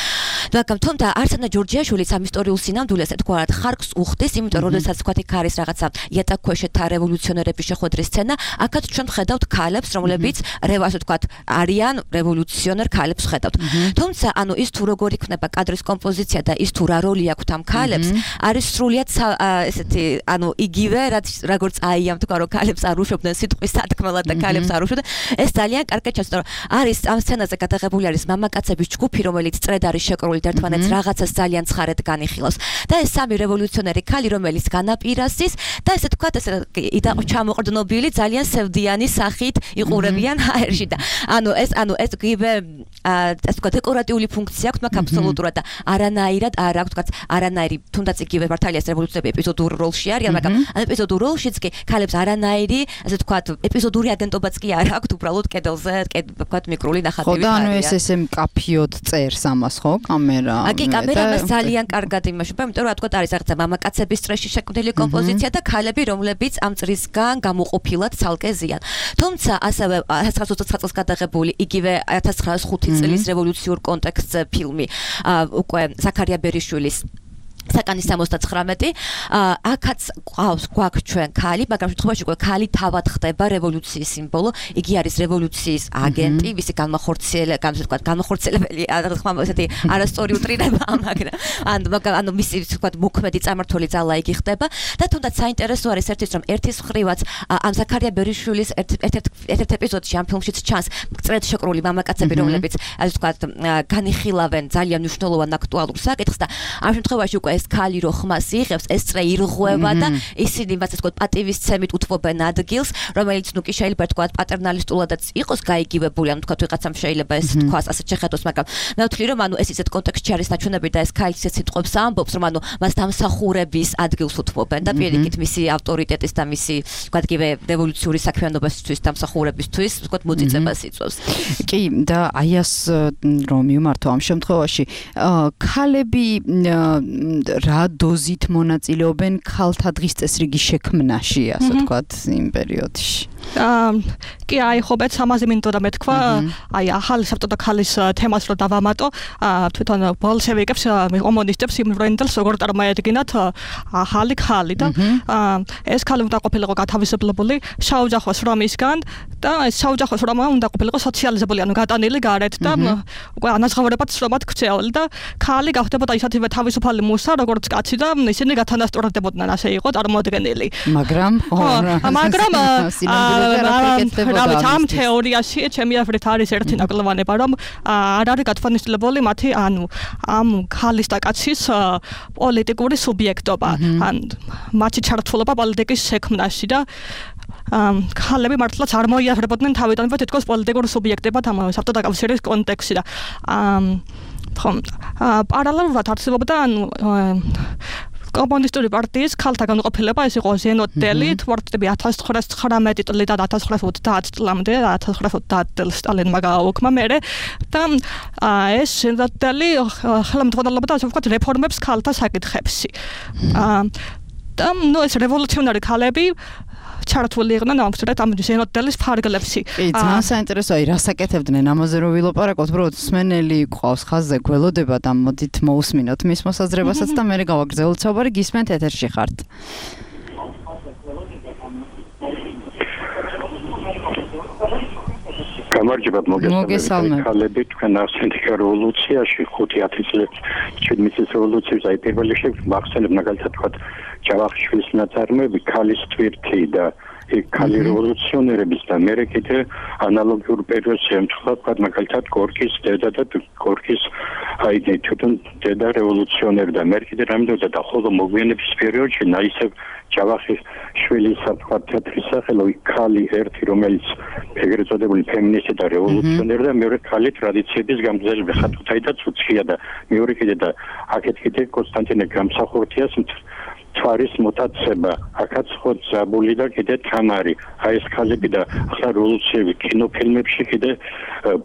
მაგრამ თუმცა არსანა ჯორჯიაშვილიც ამ ისტორიულ სინამდვილეს თქვათ ხარკს უხდის იმიტომ რომ როდესაც თქვათ იქ არის რაღაცა იატაკქვეშეთა რევოლუციონერების შეხვედრის სცენა აქაც ჩვენ ხედავთ ქალებს რომლებიც ასე თქვათ არიან რევოლუციონერ ქალებს ხედავთ თუმცა ანუ ის თუ როგორ იქნება კადრის კომპოზიცია და ის თუ რა როლი აქვს ამ ქალებს არის სრულიად ესეთი ანუ იგივე რაც როგორც აიამ თქვა რომ ქალებს არ უშვებდნენ სიტყვის სათქმელად და ქალებს არ უშვებდნენ ეს ძალიან კარგად ჩანს რომ არის ამ სცენაზე გადაღებული არის მამაკაცების ჯგუფი რომელიც წრედ არის შეკრული და ერთმანეთს რაღაცას ძალიან ცხარად განიხილავს და ეს სამი რევოლუციონერი ქალი რომელიც განაპირასის და ესე თქვა ესე ჩამოყრდნობილი ძალიან სევდიანი სახით იყურებიან აერში და ანუ ეს ანუ ეს გიბე ასე თქვა დეკორატიული ფუნქცია აქვს მაგრამ აბსოლუტურად და არანაირად არ აქვს თქვა არანაირი თუნდაც იგივე მართალია ეს რევოლუციები ეპიზოდურ როლში არიან მაგრამ ამ ეპიზოდურ როლშიც კი ქალებს არანაირი ასე თქვა ეპიზოდური აგენტობაც კი არ აქვს უბრალოდ კედელზე თქვა მიკრული ნახატები ხო და ანუ ეს ესე მკაფიოდ წერს ამას ხო კამერა აგი კამერა მას ძალიან კარგად იმაშობა იმიტომ რომ რა თქვა არის რაღაცა მამაკაცების სტრესში შექმნილი კომპოზიცია და ქალები რომლებიც ამ წრისგან გამოყოფილად ცალკე ზიან თუმცა ასევე ათას ცხრაას ოცდათხმეტ წელს გადაღებული იგივე ათას ცხრაას ხუთი წლის რევოლუციურ კონტექსტზე ფილმი უკვე ზაქარია ბერიშვილის საკანის სამოცდათხრამეტი აქაც ყავს გვაქვს ჩვენ ქალი მაგრამ შემთხვევაში უკვე ქალი თავად ხდება რევოლუციის სიმბოლო იგი არის რევოლუციის აგენტი ვისი განმახორციელებელი განსაკუთრებით განმახორციელებელი რა თქმა უნდა ესეთი არასწორი უტრირება მაგრამ ანუ ანუ მისი თქვა მოქმედი წარმართველი ძალა იგი ხდება და თუნდაც საინტერესო არის ერთის რომ ერთის მხრივაც ამ ზაქარია ბერიშვილის ერთ-ერთ ეპიზოდში ამ ფილმშიც ჩანს წრედ შეკრული მამაკაცები რომლებიც ასე თქვა განიხილავენ ძალიან მნიშვნელოვან აქტუალურ საკითხს და ამ შემთხვევაში უკვე ეს ქალი რო ხმას იღებს ეს წრე ირღვევა და ისინი მას ასე ვთქვათ პატივისცემით უთმობენ ადგილს რომელიც ნუ კი შეიძლება თქვათ პატერნალისტულადაც იყოს გაიგივებული ანუ თქვათ ვიღაცამ შეიძლება ეს თქვას ასე შეხედოს მაგრამ მე ვთვლი რომ ანუ ეს ისეთ კონტექსტში არის ნაჩვენები და ეს ქალი ისეთ სიტყვებს ამბობს რომ ანუ მას დამსახურების ადგილს უთმობენ და პირიქით მისი ავტორიტეტის და მისი თქვათ იგივე რევოლუციური საქმიანობისთვის დამსახურებისთვის თქვათ მოწიწებას იწვევს კი და აი ეს რომ მიმართო ამ შემთხვევაში ქალები რა დოზით მონაწილეობენ ქალთა დღის წესრიგის შექმნაში, ასე ვთქვათ, იმ პერიოდში. კი აი ხო მეც ამაზე მინდოდა და მეთქვა აი ახალი საბჭოთა ქალის თემას რო დავამატო თვითონ ბოლშევიკებს კომუნისტებს იმრენდელს როგორ წარმოედგინათ ახალი ქალი და ეს ქალი უნდა ყოფილიყო გათავისუფლებული შაოჯახოს რომისგან და ეს შაოჯახოს რომა უნდა ყოფილიყო სოციალიზებული ანუ გატანილი გარეთ და უკვე ანაზღაურებად შრომად ქცეული და ქალი გავხდებოდა ისეთივე თავისუფალი მუსა როგორც კაცი და ისინი გათანასწორდებოდნენ ასე იყო წარმოადგენილი მაგრამ მაგრამ ამ თეორიაში ჩემი აზრით არის ერთი ნაკლოვანება რომ არ არის გათვალისწინებული მათი ანუ ამ ქალის და კაცის პოლიტიკური სუბიექტობა ან მათი ჩართულობა პოლიტიკის შექმნაში და ქალები მართლაც არ მოიაზრებოდნენ თავიდანვე თითქოს პოლიტიკურ სუბიექტებად ამ საბჭოთა კავშირის კონტექსტში და ხომ პარალელურად არსებობდა ანუ კომუნისტური პარტიის ქალთა განყოფილება ეს იყო ზენოტელი თვარტები ათას ცხრაას ცხრამეტი წლიდან ათას ცხრაას ოცდაათ წლამდე ათას ცხრაას ოცდაათ წელს სტალინმა გააუქმა მერე და ეს ზენოტელი ხელმძღვანელობდა ასე ვთქვათ რეფორმებს ქალთა საკითხებში და ნუ ეს რევოლუციონერი ქალები ჩართული იყვნენ ამ სწორედ ამ ზენოტელის ფარგლებში. კი, ძალიან საინტერესოა, რას აკეთებდნენ ამაზე რომ ვილაპარაკოთ, უბრალოდ მსმენელი ყავს ხაზზე გველოდება და მოდით მოусმინოთ მის მოსაზრებასაც და მე გავაგრძელოთ საუბარი, გისმენთ ეთერში ხართ. გამარჯობა მოგესალმებით. ქალები თქვენ ახსენეთ რევოლუციაში ხუთი ათი წლის შვიდმეტ წლის რევოლუციის აი პირველი შექმნა მახსენებ მაგალითად თქვა ჯავახიშვილის ნაწარმოები ქალის თვირთი და ქალი რევოლუციონერების და მე კიდე ანალოგიურ პერიოდს ემთხვევა თქვა მაგალითად გორკის დედა და გორკის აი თვითონ დედა რევოლუციონერი და მე კიდე რამდენად და ხოლმე მოგვიანების პერიოდში ნაისებ ჯავახიშვილის თქვა თეთრი სახელო ქალი ერთი რომელიც ეგრეთ წოდებული ფემინისტი და რევოლუციონერი და მეორე ქალი ტრადიციების გამგზავრება ხათუთაი და ცუცქია და მეორე კიდე და აქეთ კიდე კონსტანტინე გამსახურთიას თვარის მოტაცება აქაც ხო ზაბული და კიდე თამარი აი ეს ქალები და ახლა რევოლუციები კინოფილმებში კიდე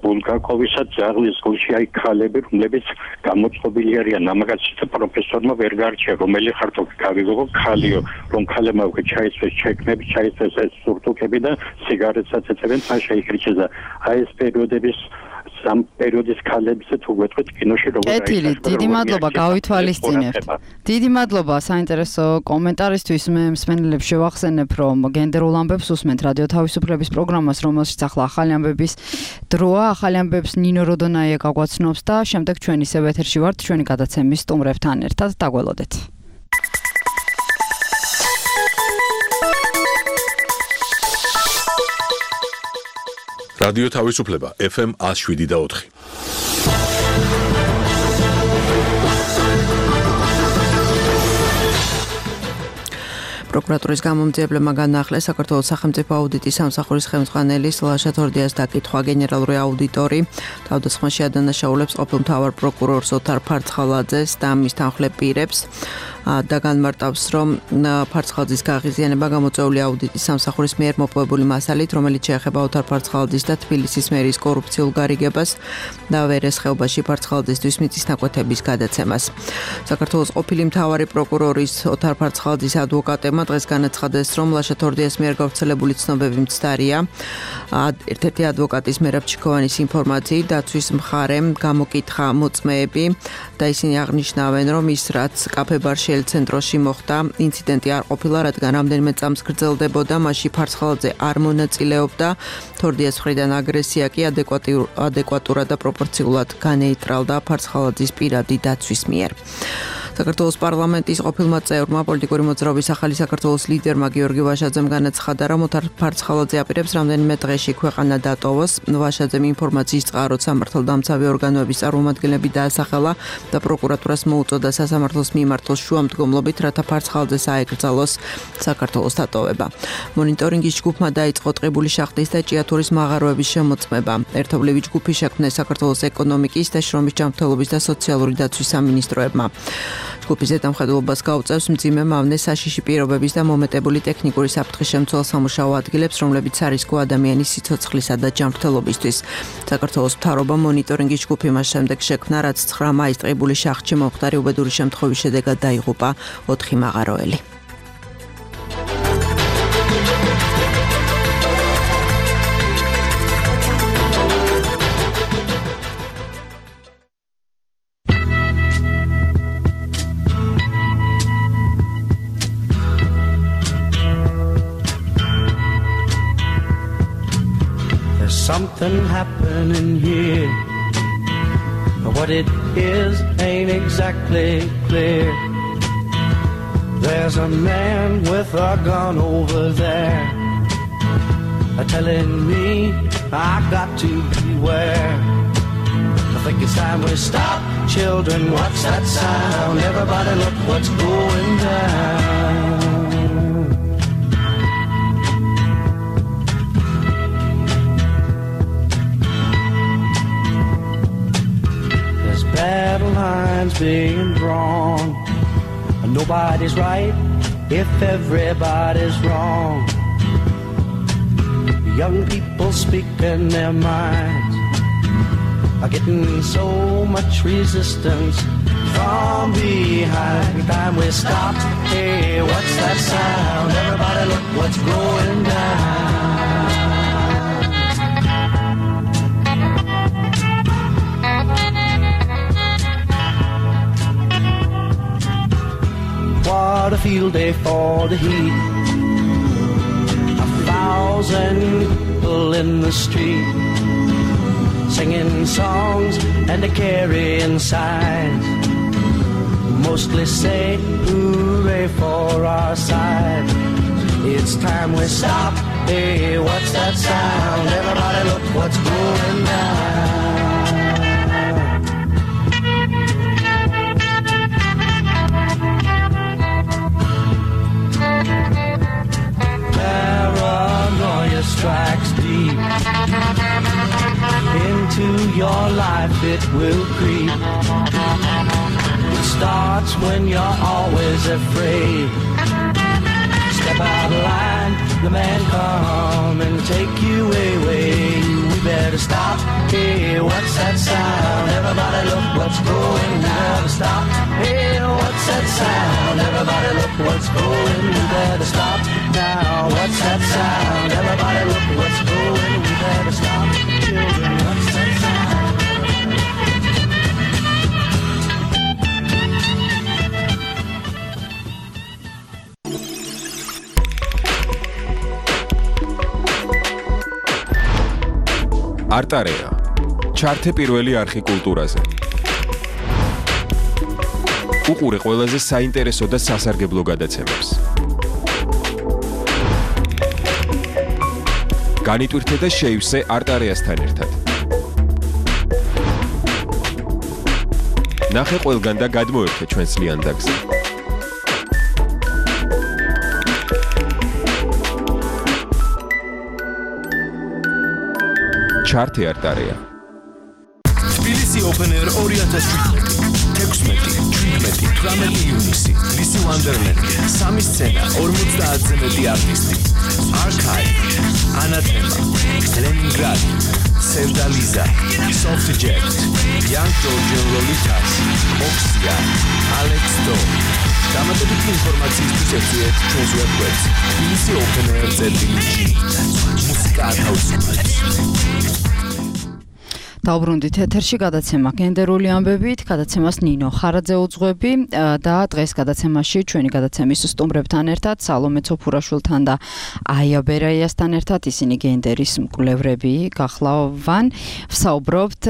ბულგაკოვისა ძაღლის გულში აი ქალები რომლებიც გამოწყობილი არიან ამაგაცი და პროფესორმა ვერ გარჩია რომელი ხართო გავიგო ქალიო რომ ქალებმა უკვე ჩაიცვეს ჩეკნები ჩაიცვეს ეს სურთუკები და სიგარეტსაც ეწევენ თან შეიქრიჩეს და აი ეს პერიოდების სამ პერიოდის ქალებისაც თუ გვეტყვით კინოში როგორ არის. ეთილი, დიდი მადლობა გავითვალისწინებთ. დიდი მადლობა საინტერესო კომენტარისთვის. მე მსმენელებს შევახსენებ, რომ გენდერულ ამბებს უსმენთ რადიო თავისუფლების პროგრამას, რომელშიც ახლა ახალი ამბების დროა. ახალი ამბებს ნინო როდონაია გაგვაცნობს და შემდეგ ჩვენ ისევ ეთერში ვართ ჩვენი გადაცემის სტუმრებთან ერთად. დაგველოდეთ. რადიო თავისუფლება ეფ ემ one oh seven და four. პროკურატურის გამომძიებლებმა განაახლეს საქართველოს სახელმწიფო აუდიტის სამსახურის ხელმძღვანელის ლაშა თორდიას დაკითხვა. გენერალური აუდიტორი თავდასხმაში ადანაშაულებს ყოფილ მთავარ პროკურორს ოთარ ფარცხალაძეს და მის თანხმლებ პირებს და განმარტავს, რომ ფარცხალაძის გაღიზიანება გამოწვეული აუდიტის სამსახურის მიერ მოპოვებული მასალით, რომელიც შეეხება ოთარ ფარცხალაძის და თბილისის მერის კორუფციულ გარიგებას და ვერესხეობაში ფარცხალაძისთვის მიწისნაკვეთების გადაცემას. საქართველოს ყოფილი მთავარი პროკურორის ოთარ ფარცხალაძის ადვოკატებმა დღეს განაცხადეს, რომ ლაშა თორდიას მიერ გავრცელებული ცნობები მცდარია. ერთ-ერთი ადვოკატის მერაბ ჩიქოვანის ინფორმაციით დაცვის მხარემ გამოკითხა მოწმეები და ისინი აღნიშნავენ, რომ ის რაც კაფე-ბარში ცენტროში მოხდა ინციდენტი არ ყოფილა, რადგან რამდენიმე წამს გრძელდებოდა, მასში ფარცხალაძე არ მონაწილეობდა. თორდიას მხრიდან აგრესია კი ადეკვატურად და პროპორციულად განეიტრალდა ფარცხალაძის პირადი დაცვის მიერ. საქართველოს პარლამენტის ყოფილმა წევრმა პოლიტიკური მოძრაობის ახალი საქართველოს ლიდერმა გიორგი ვაშაძემ განაცხადა, რომ ოთარ ფარცხალაძე აპირებს რამდენიმე დღეში ქვეყანა დატოვოს. ვაშაძემ ინფორმაციის წყაროდ სამართალდამცავი ორგანოების წარმომადგენლები დაასახელა და პროკურატურას მოუწოდა სასამართლოს მიმართოს შუამდგომლობით, რათა ფარცხალაძეს აეკრძალოს საქართველოს დატოვება. მონიტორინგის ჯგუფმა დაიწყო ტყიბული შახტის და ჭიათურის მაღაროების შემოწმება. ერთობლივი ჯგუფი შექმნეს საქართველოს ეკონომიკის და შრომის ჯანმრთელობის და სოციალური დაცვის სამინისტროებმა. ჯგუფის ზედამხედველობას გაუწევს მძიმე მავნე საშიში პირობების და მომეტებული ტექნიკური საფრთხის შემცველ სამუშაო ადგილებს, რომლებიც არისკო ადამიანის სიცოცხლისა და ჯანმრთელობისთვის. საქართველოს მთავრობა მონიტორინგის ჯგუფი მას შემდეგ შექმნა, რაც ცხრა მაისს ტყიბული შახტში მომხდარი უბედური შემთხვევის შედეგად დაიღუპა ოთხი მაღაროელი. Something happening here. What it is ain't exactly clear. There's a man with a gun over there, telling me I got to beware. I think it's time we stop. Children, what's that sound? Everybody look what's going down. Battle lines being drawn. Nobody's right if everybody's wrong. Young people speaking their minds are getting so much resistance from behind. Time we stop. Hey, what's that sound? Everybody look what's going down. What a field day for the heat. A thousand people in the street, singing songs and carrying signs. Mostly say hooray for our side. It's time we stop. Hey, what's that sound? Everybody look what's going down. Paranoia strikes deep into your life, it will creep. starts when you're always afraid. Step out of line, the man come and take you away. We better stop. Hey, what's that sound? Everybody look what's going on. Stop. Hey, what's that sound? Everybody look what's going. We better stop now. What's that sound? Everybody look what's going. We better stop. Children, what's that sound? არტარეა. ჩართე პირველი არხი კულტურაზე. უყურე ყველაზე საინტერესო და სასარგებლო გადაცემებს. განიტვირთე და შეივსე არტარეასთან ერთად. ნახე ყველგან და გადმოერთე ჩვენს ლიანდაგზე. ჩართე არტარეა. თბილისი Open Air ორი ათას შვიდმეტი, თექვსმეტი, შვიდმეტი, თვრამეტი ივნისი, ლისი ვანდერლენდი, სამი სცენა, ორმოცდაათზე მეტი არტისტი, Archive, Anathema, Leningrad, Sevdaliza, Softjet, Young Georgian Lolitas, Oxia, Alex Do. დამატებითი ინფორმაციისთვის ეწვიეთ ჩვენს ვებგვერდს თბილისი Open Air წერტილი მუსიკა ათავისუფლებს. დაუბრუნდით ეთერში გადაცემა გენდერული ამბებით, გადაცემას ნინო ხარაძე უძღვები და დღეს გადაცემაში ჩვენი გადაცემის სტუმრებთან ერთად სალომე ცოფურაშვილთან და აია ბერაიასთან ერთად ისინი გენდერის მკვლევრები გახლავან. ვსაუბრობთ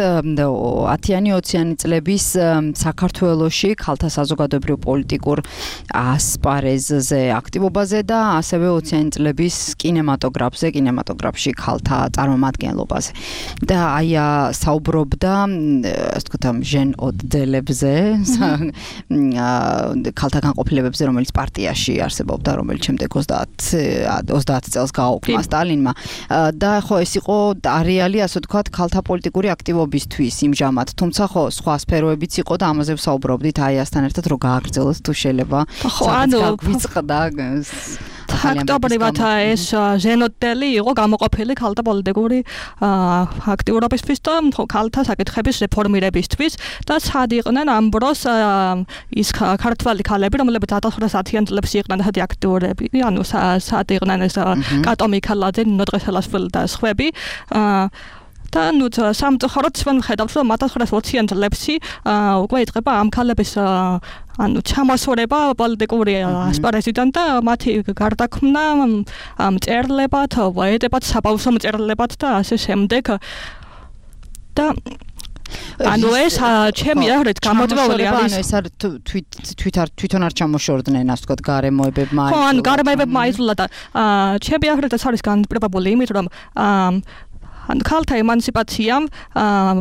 ათიანი ოციანი წლების საქართველოში ქალთა საზოგადოებრივ პოლიტიკურ ასპარეზზე აქტივობაზე და ასევე ოციანი წლების კინემატოგრაფზე, კინემატოგრაფში ქალთა წარმომადგენლობაზე. და აია საუბრობდა, ასე ვთქვათ, ჟენ ოდელებზე, ქალთა განყოფილებებზე, რომელიც პარტიაში არსებობდა, რომელიც შემდეგ ოცდაათ წელს გააუქმა სტალინმა. და ხო ეს იყო არეალი, ასე ვთქვათ, ქალთა პოლიტიკური აქტივობისთვის იმჟამად, თუმცა ხო სხვა სფეროებიც იყო და ამაზე ვსაუბრობდით აიასთან ერთად, რომ გააგრძელოთ თუ შეიძლება. ხო, ანუ გვიწყდა ფაქტობრივად ეს ჟენოდელი იყო გამოყოფილი ქალთა პოლიტიკური აქტიურობისთვის და ქალთა საკითხების რეფორმირებისთვის და სად იყვნენ ამ დროს ის ქართველი ქალები, რომლებიც ათას ათიანი წლებში იყვნენ ასეთი აქტიურები, ანუ სად იყვნენ ეს კატო მიქელაძე, ნინო დღესალაშვილი და სხვები. და ნუ სამწუხაროდ ჩვენ ვხედავთ, რომ ათას ოციანი წლებში უკვე იწყება ამ ქალების ანუ ჩამოსვლება პოლიტიკური ასპარეზიდან და მათი გარდაქმნა მწერლებად, პოეტებად, საბავშვო მწერლებად და ასე შემდეგ. და ანუ ეს ჩემი აღრეთ გამოწვეული არის. ანუ ეს არ თვითონ არ ჩამოშორდნენ, ასე ვთქვათ, გარემოებებმა. ხო, ანუ გარემოებებმა აიძულა და ჩემი აღრეთ ეს არის განპირობებული იმით, რომ ანუ ქალთა ემანციპაციამ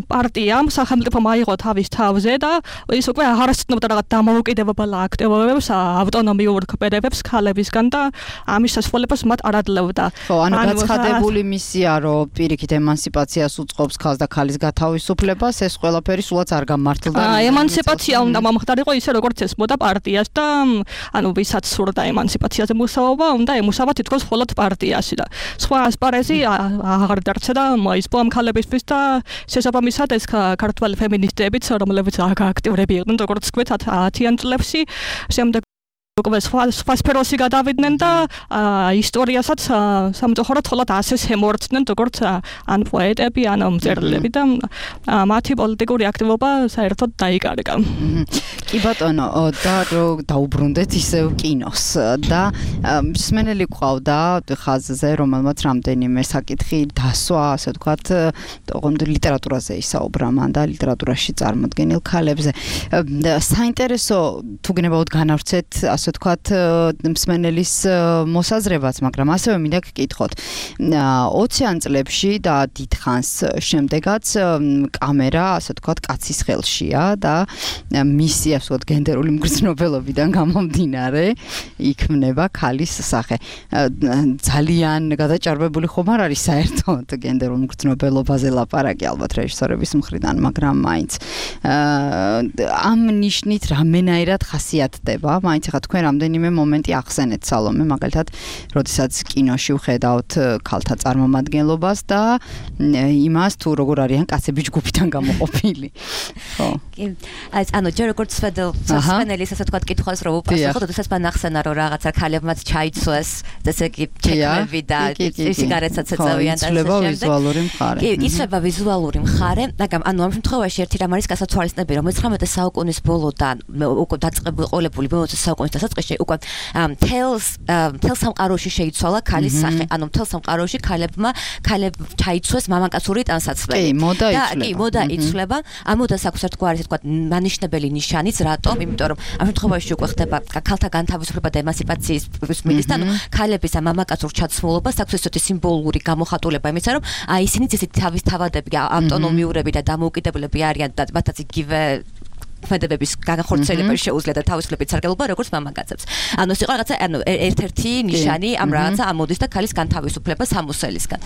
პარტიამ სახელმწიფო მაიღო თავის თავზე და ის უკვე აღარ ასწნობდა რაღაც დამოუკიდებელ აქტივობებს, ავტონომიურ ქმედებებს ქალებისგან და ამის სასწავლებას მათ არ ადლებდა. ხო, ანუ გაცხადებული მისია, რომ პირიქით ემანციპაციას უწყობს ქალს და ქალის გათავისუფლებას, ეს ყველაფერი სულაც არ გამართლდა. ემანციპაცია უნდა მომხდარიყო ისე როგორც ესმოდა პარტიას და ანუ ვისაც სურდა ემანციპაციაზე მუშაობა, უნდა ემუშავა თითქოს მხოლოდ პარტიაში და სხვა ასპარეზი აღარ დარჩა და მოისპო ამ ქალებისთვის და შესაბამისად ეს ქართველი ფემინისტებიც, რომლებიც აქტიურები იყვნენ, როგორც თქვით, ათიანი წლებში, შემდეგ უკვე სხვა სფეროში გადავიდნენ და ისტორიასაც სამწუხაროდ მხოლოდ ასე შემოერწყნენ, როგორც ან პოეტები, ან მწერლები და მათი პოლიტიკური აქტივობა საერთოდ დაიკარგა. კი ბატონო, და დაუბრუნდეთ ისევ კინოს და მსმენელი ყავდა ხაზზე, რომელმაც რამდენიმე საკითხი დასვა, ასე ვთქვათ, ლიტერატურაზე ისაუბრა მან და ლიტერატურაში წარმოდგენილ ქალებზე. საინტერესო თუ გნებავთ განავრცეთ, ასე ასე ვთქვათ, მსმენელის მოსაზრებაც, მაგრამ ასევე მინდა გკითხოთ. ოციან წლებში და დიდხანს შემდეგაც კამერა, ასე ვთქვათ, კაცის ხელშია და მისი, ასე ვთქვათ, გენდერული მგრძნობელობიდან გამომდინარე იქმნება ქალის სახე. ძალიან გადაჭარბებული ხომ არ არის საერთოდ გენდერულ მგრძნობელობაზე ლაპარაკი ალბათ რეჟისორების მხრიდან, მაგრამ მაინც ამ ნიშნით რამენაირად ხასიათდება, მაინც ახლა თქვენ რამდენიმე მომენტი ახსენეთ სალომე, მაგალითად, როდესაც კინოში ვხედავთ ქალთა წარმომადგენლობას და იმას თუ როგორ არიან კაცები ჯგუფიდან გამოყოფილი. ხო. კი, აი ანუ ჯერ როგორც სპენელის ასე ვთქვათ კითხვას რომ უპასუხო, როდესაც მან ახსენა რომ რაღაცა ქალებმაც ჩაიცვეს, ესე იგი ჩექმები და სიგარეტსაც ეწევიან და იცვლება ვიზუალური მხარე. კი, იცვლება ვიზუალური მხარე, მაგრამ ანუ ამ შემთხვევაში ერთი რამ არის გასათვალისწინებელი, რომ მეცხრამეტე საუკუნის ბოლოდან უკვე დაწყებული ყოლებული მეოცე საუკუნის დასაწყისში უკვე თელს თელ სამყაროში შეიცვალა ქალის სახე, ანუ თელ სამყაროში ქალებმა ქალებ ჩაიცვეს მამაკაცური ტანსაცმელი. კი, მოდა იცვლება. კი, მოდა იცვლება. ამ მოდას აქვს ერთგვარი ასე ვთქვათ მანიშნებელი ნიშანიც, რატომ? იმიტომ რომ ამ შემთხვევაში უკვე ხდება ქალთა განთავისუფლება და ემანციპაციის მიზნით, ანუ ქალების ამ მამაკაცურ ჩაცმულობას აქვს ესეთი სიმბოლური გამოხატულება იმისა, რომ აი ისინი ისეთი თავის თავადები, ავტონომიურები და დამოუკიდებლები არიან და მათაც იგივე ქმედებების განხორციელება შეუძლია და თავისუფლებით სარგებლობა როგორც მამაკაცებს. ანუ ეს იყო რაღაცა ანუ ერთ-ერთი ნიშანი ამ რაღაცა ამოდის და ქალის განთავისუფლება სამოსელისგან.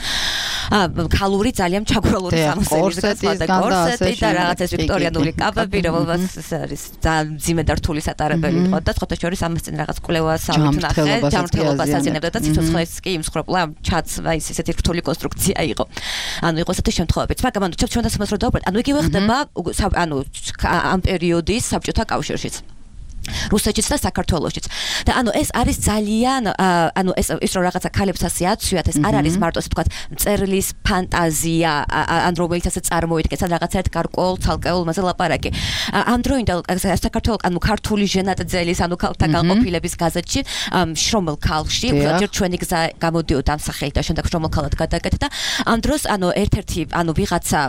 ქალური ძალიან ჩაგვრალური სამოსელისგან და კორსეტი და რაღაცა ვიქტორიანული კაბები, რომელსაც არის ძალიან ძიმე და რთული სატარებელი იყო და სხვათა შორის ამას წინ რაღაც კვლევას ავით ნახე, ჯანმრთელობას აზიანებდა და ციცოცხლეს კი იმსხრობლა ჩაცვა ის ესეთი რთული კონსტრუქცია იყო. ანუ იყო ესეთი შემთხვევებიც, მაგრამ ანუ ჩვენ დასამას რო დავუბრალდეთ, ანუ იგივე ხდება ანუ ამ პერიოდის საბჭოთა კავშირშიც. რუსეთშიც და საქართველოშიც. და ანუ ეს არის ძალიან ანუ ეს ის რომ რაღაცა ქალებს ასე აცვიათ, ეს არ არის მარტო ასე ვთქვათ, მწერლის ფანტაზია, ან რომელიც ასე წარმოიდგენს, ან რაღაცა ერთ გარკვეულ ცალკეულ მასე ლაპარაკი. ამ დროინდელ საქართველოს ანუ ქართული ჟენატძელის, ანუ ქალთა განყოფილების გაზეთში შრომელ ქალში, ჯერ ჩვენი გზა გამოდიოდა ამ სახელით და შემდეგ შრომელ ქალად გადაკეთდა და ამ დროს ანუ ერთ-ერთი ანუ ვიღაცა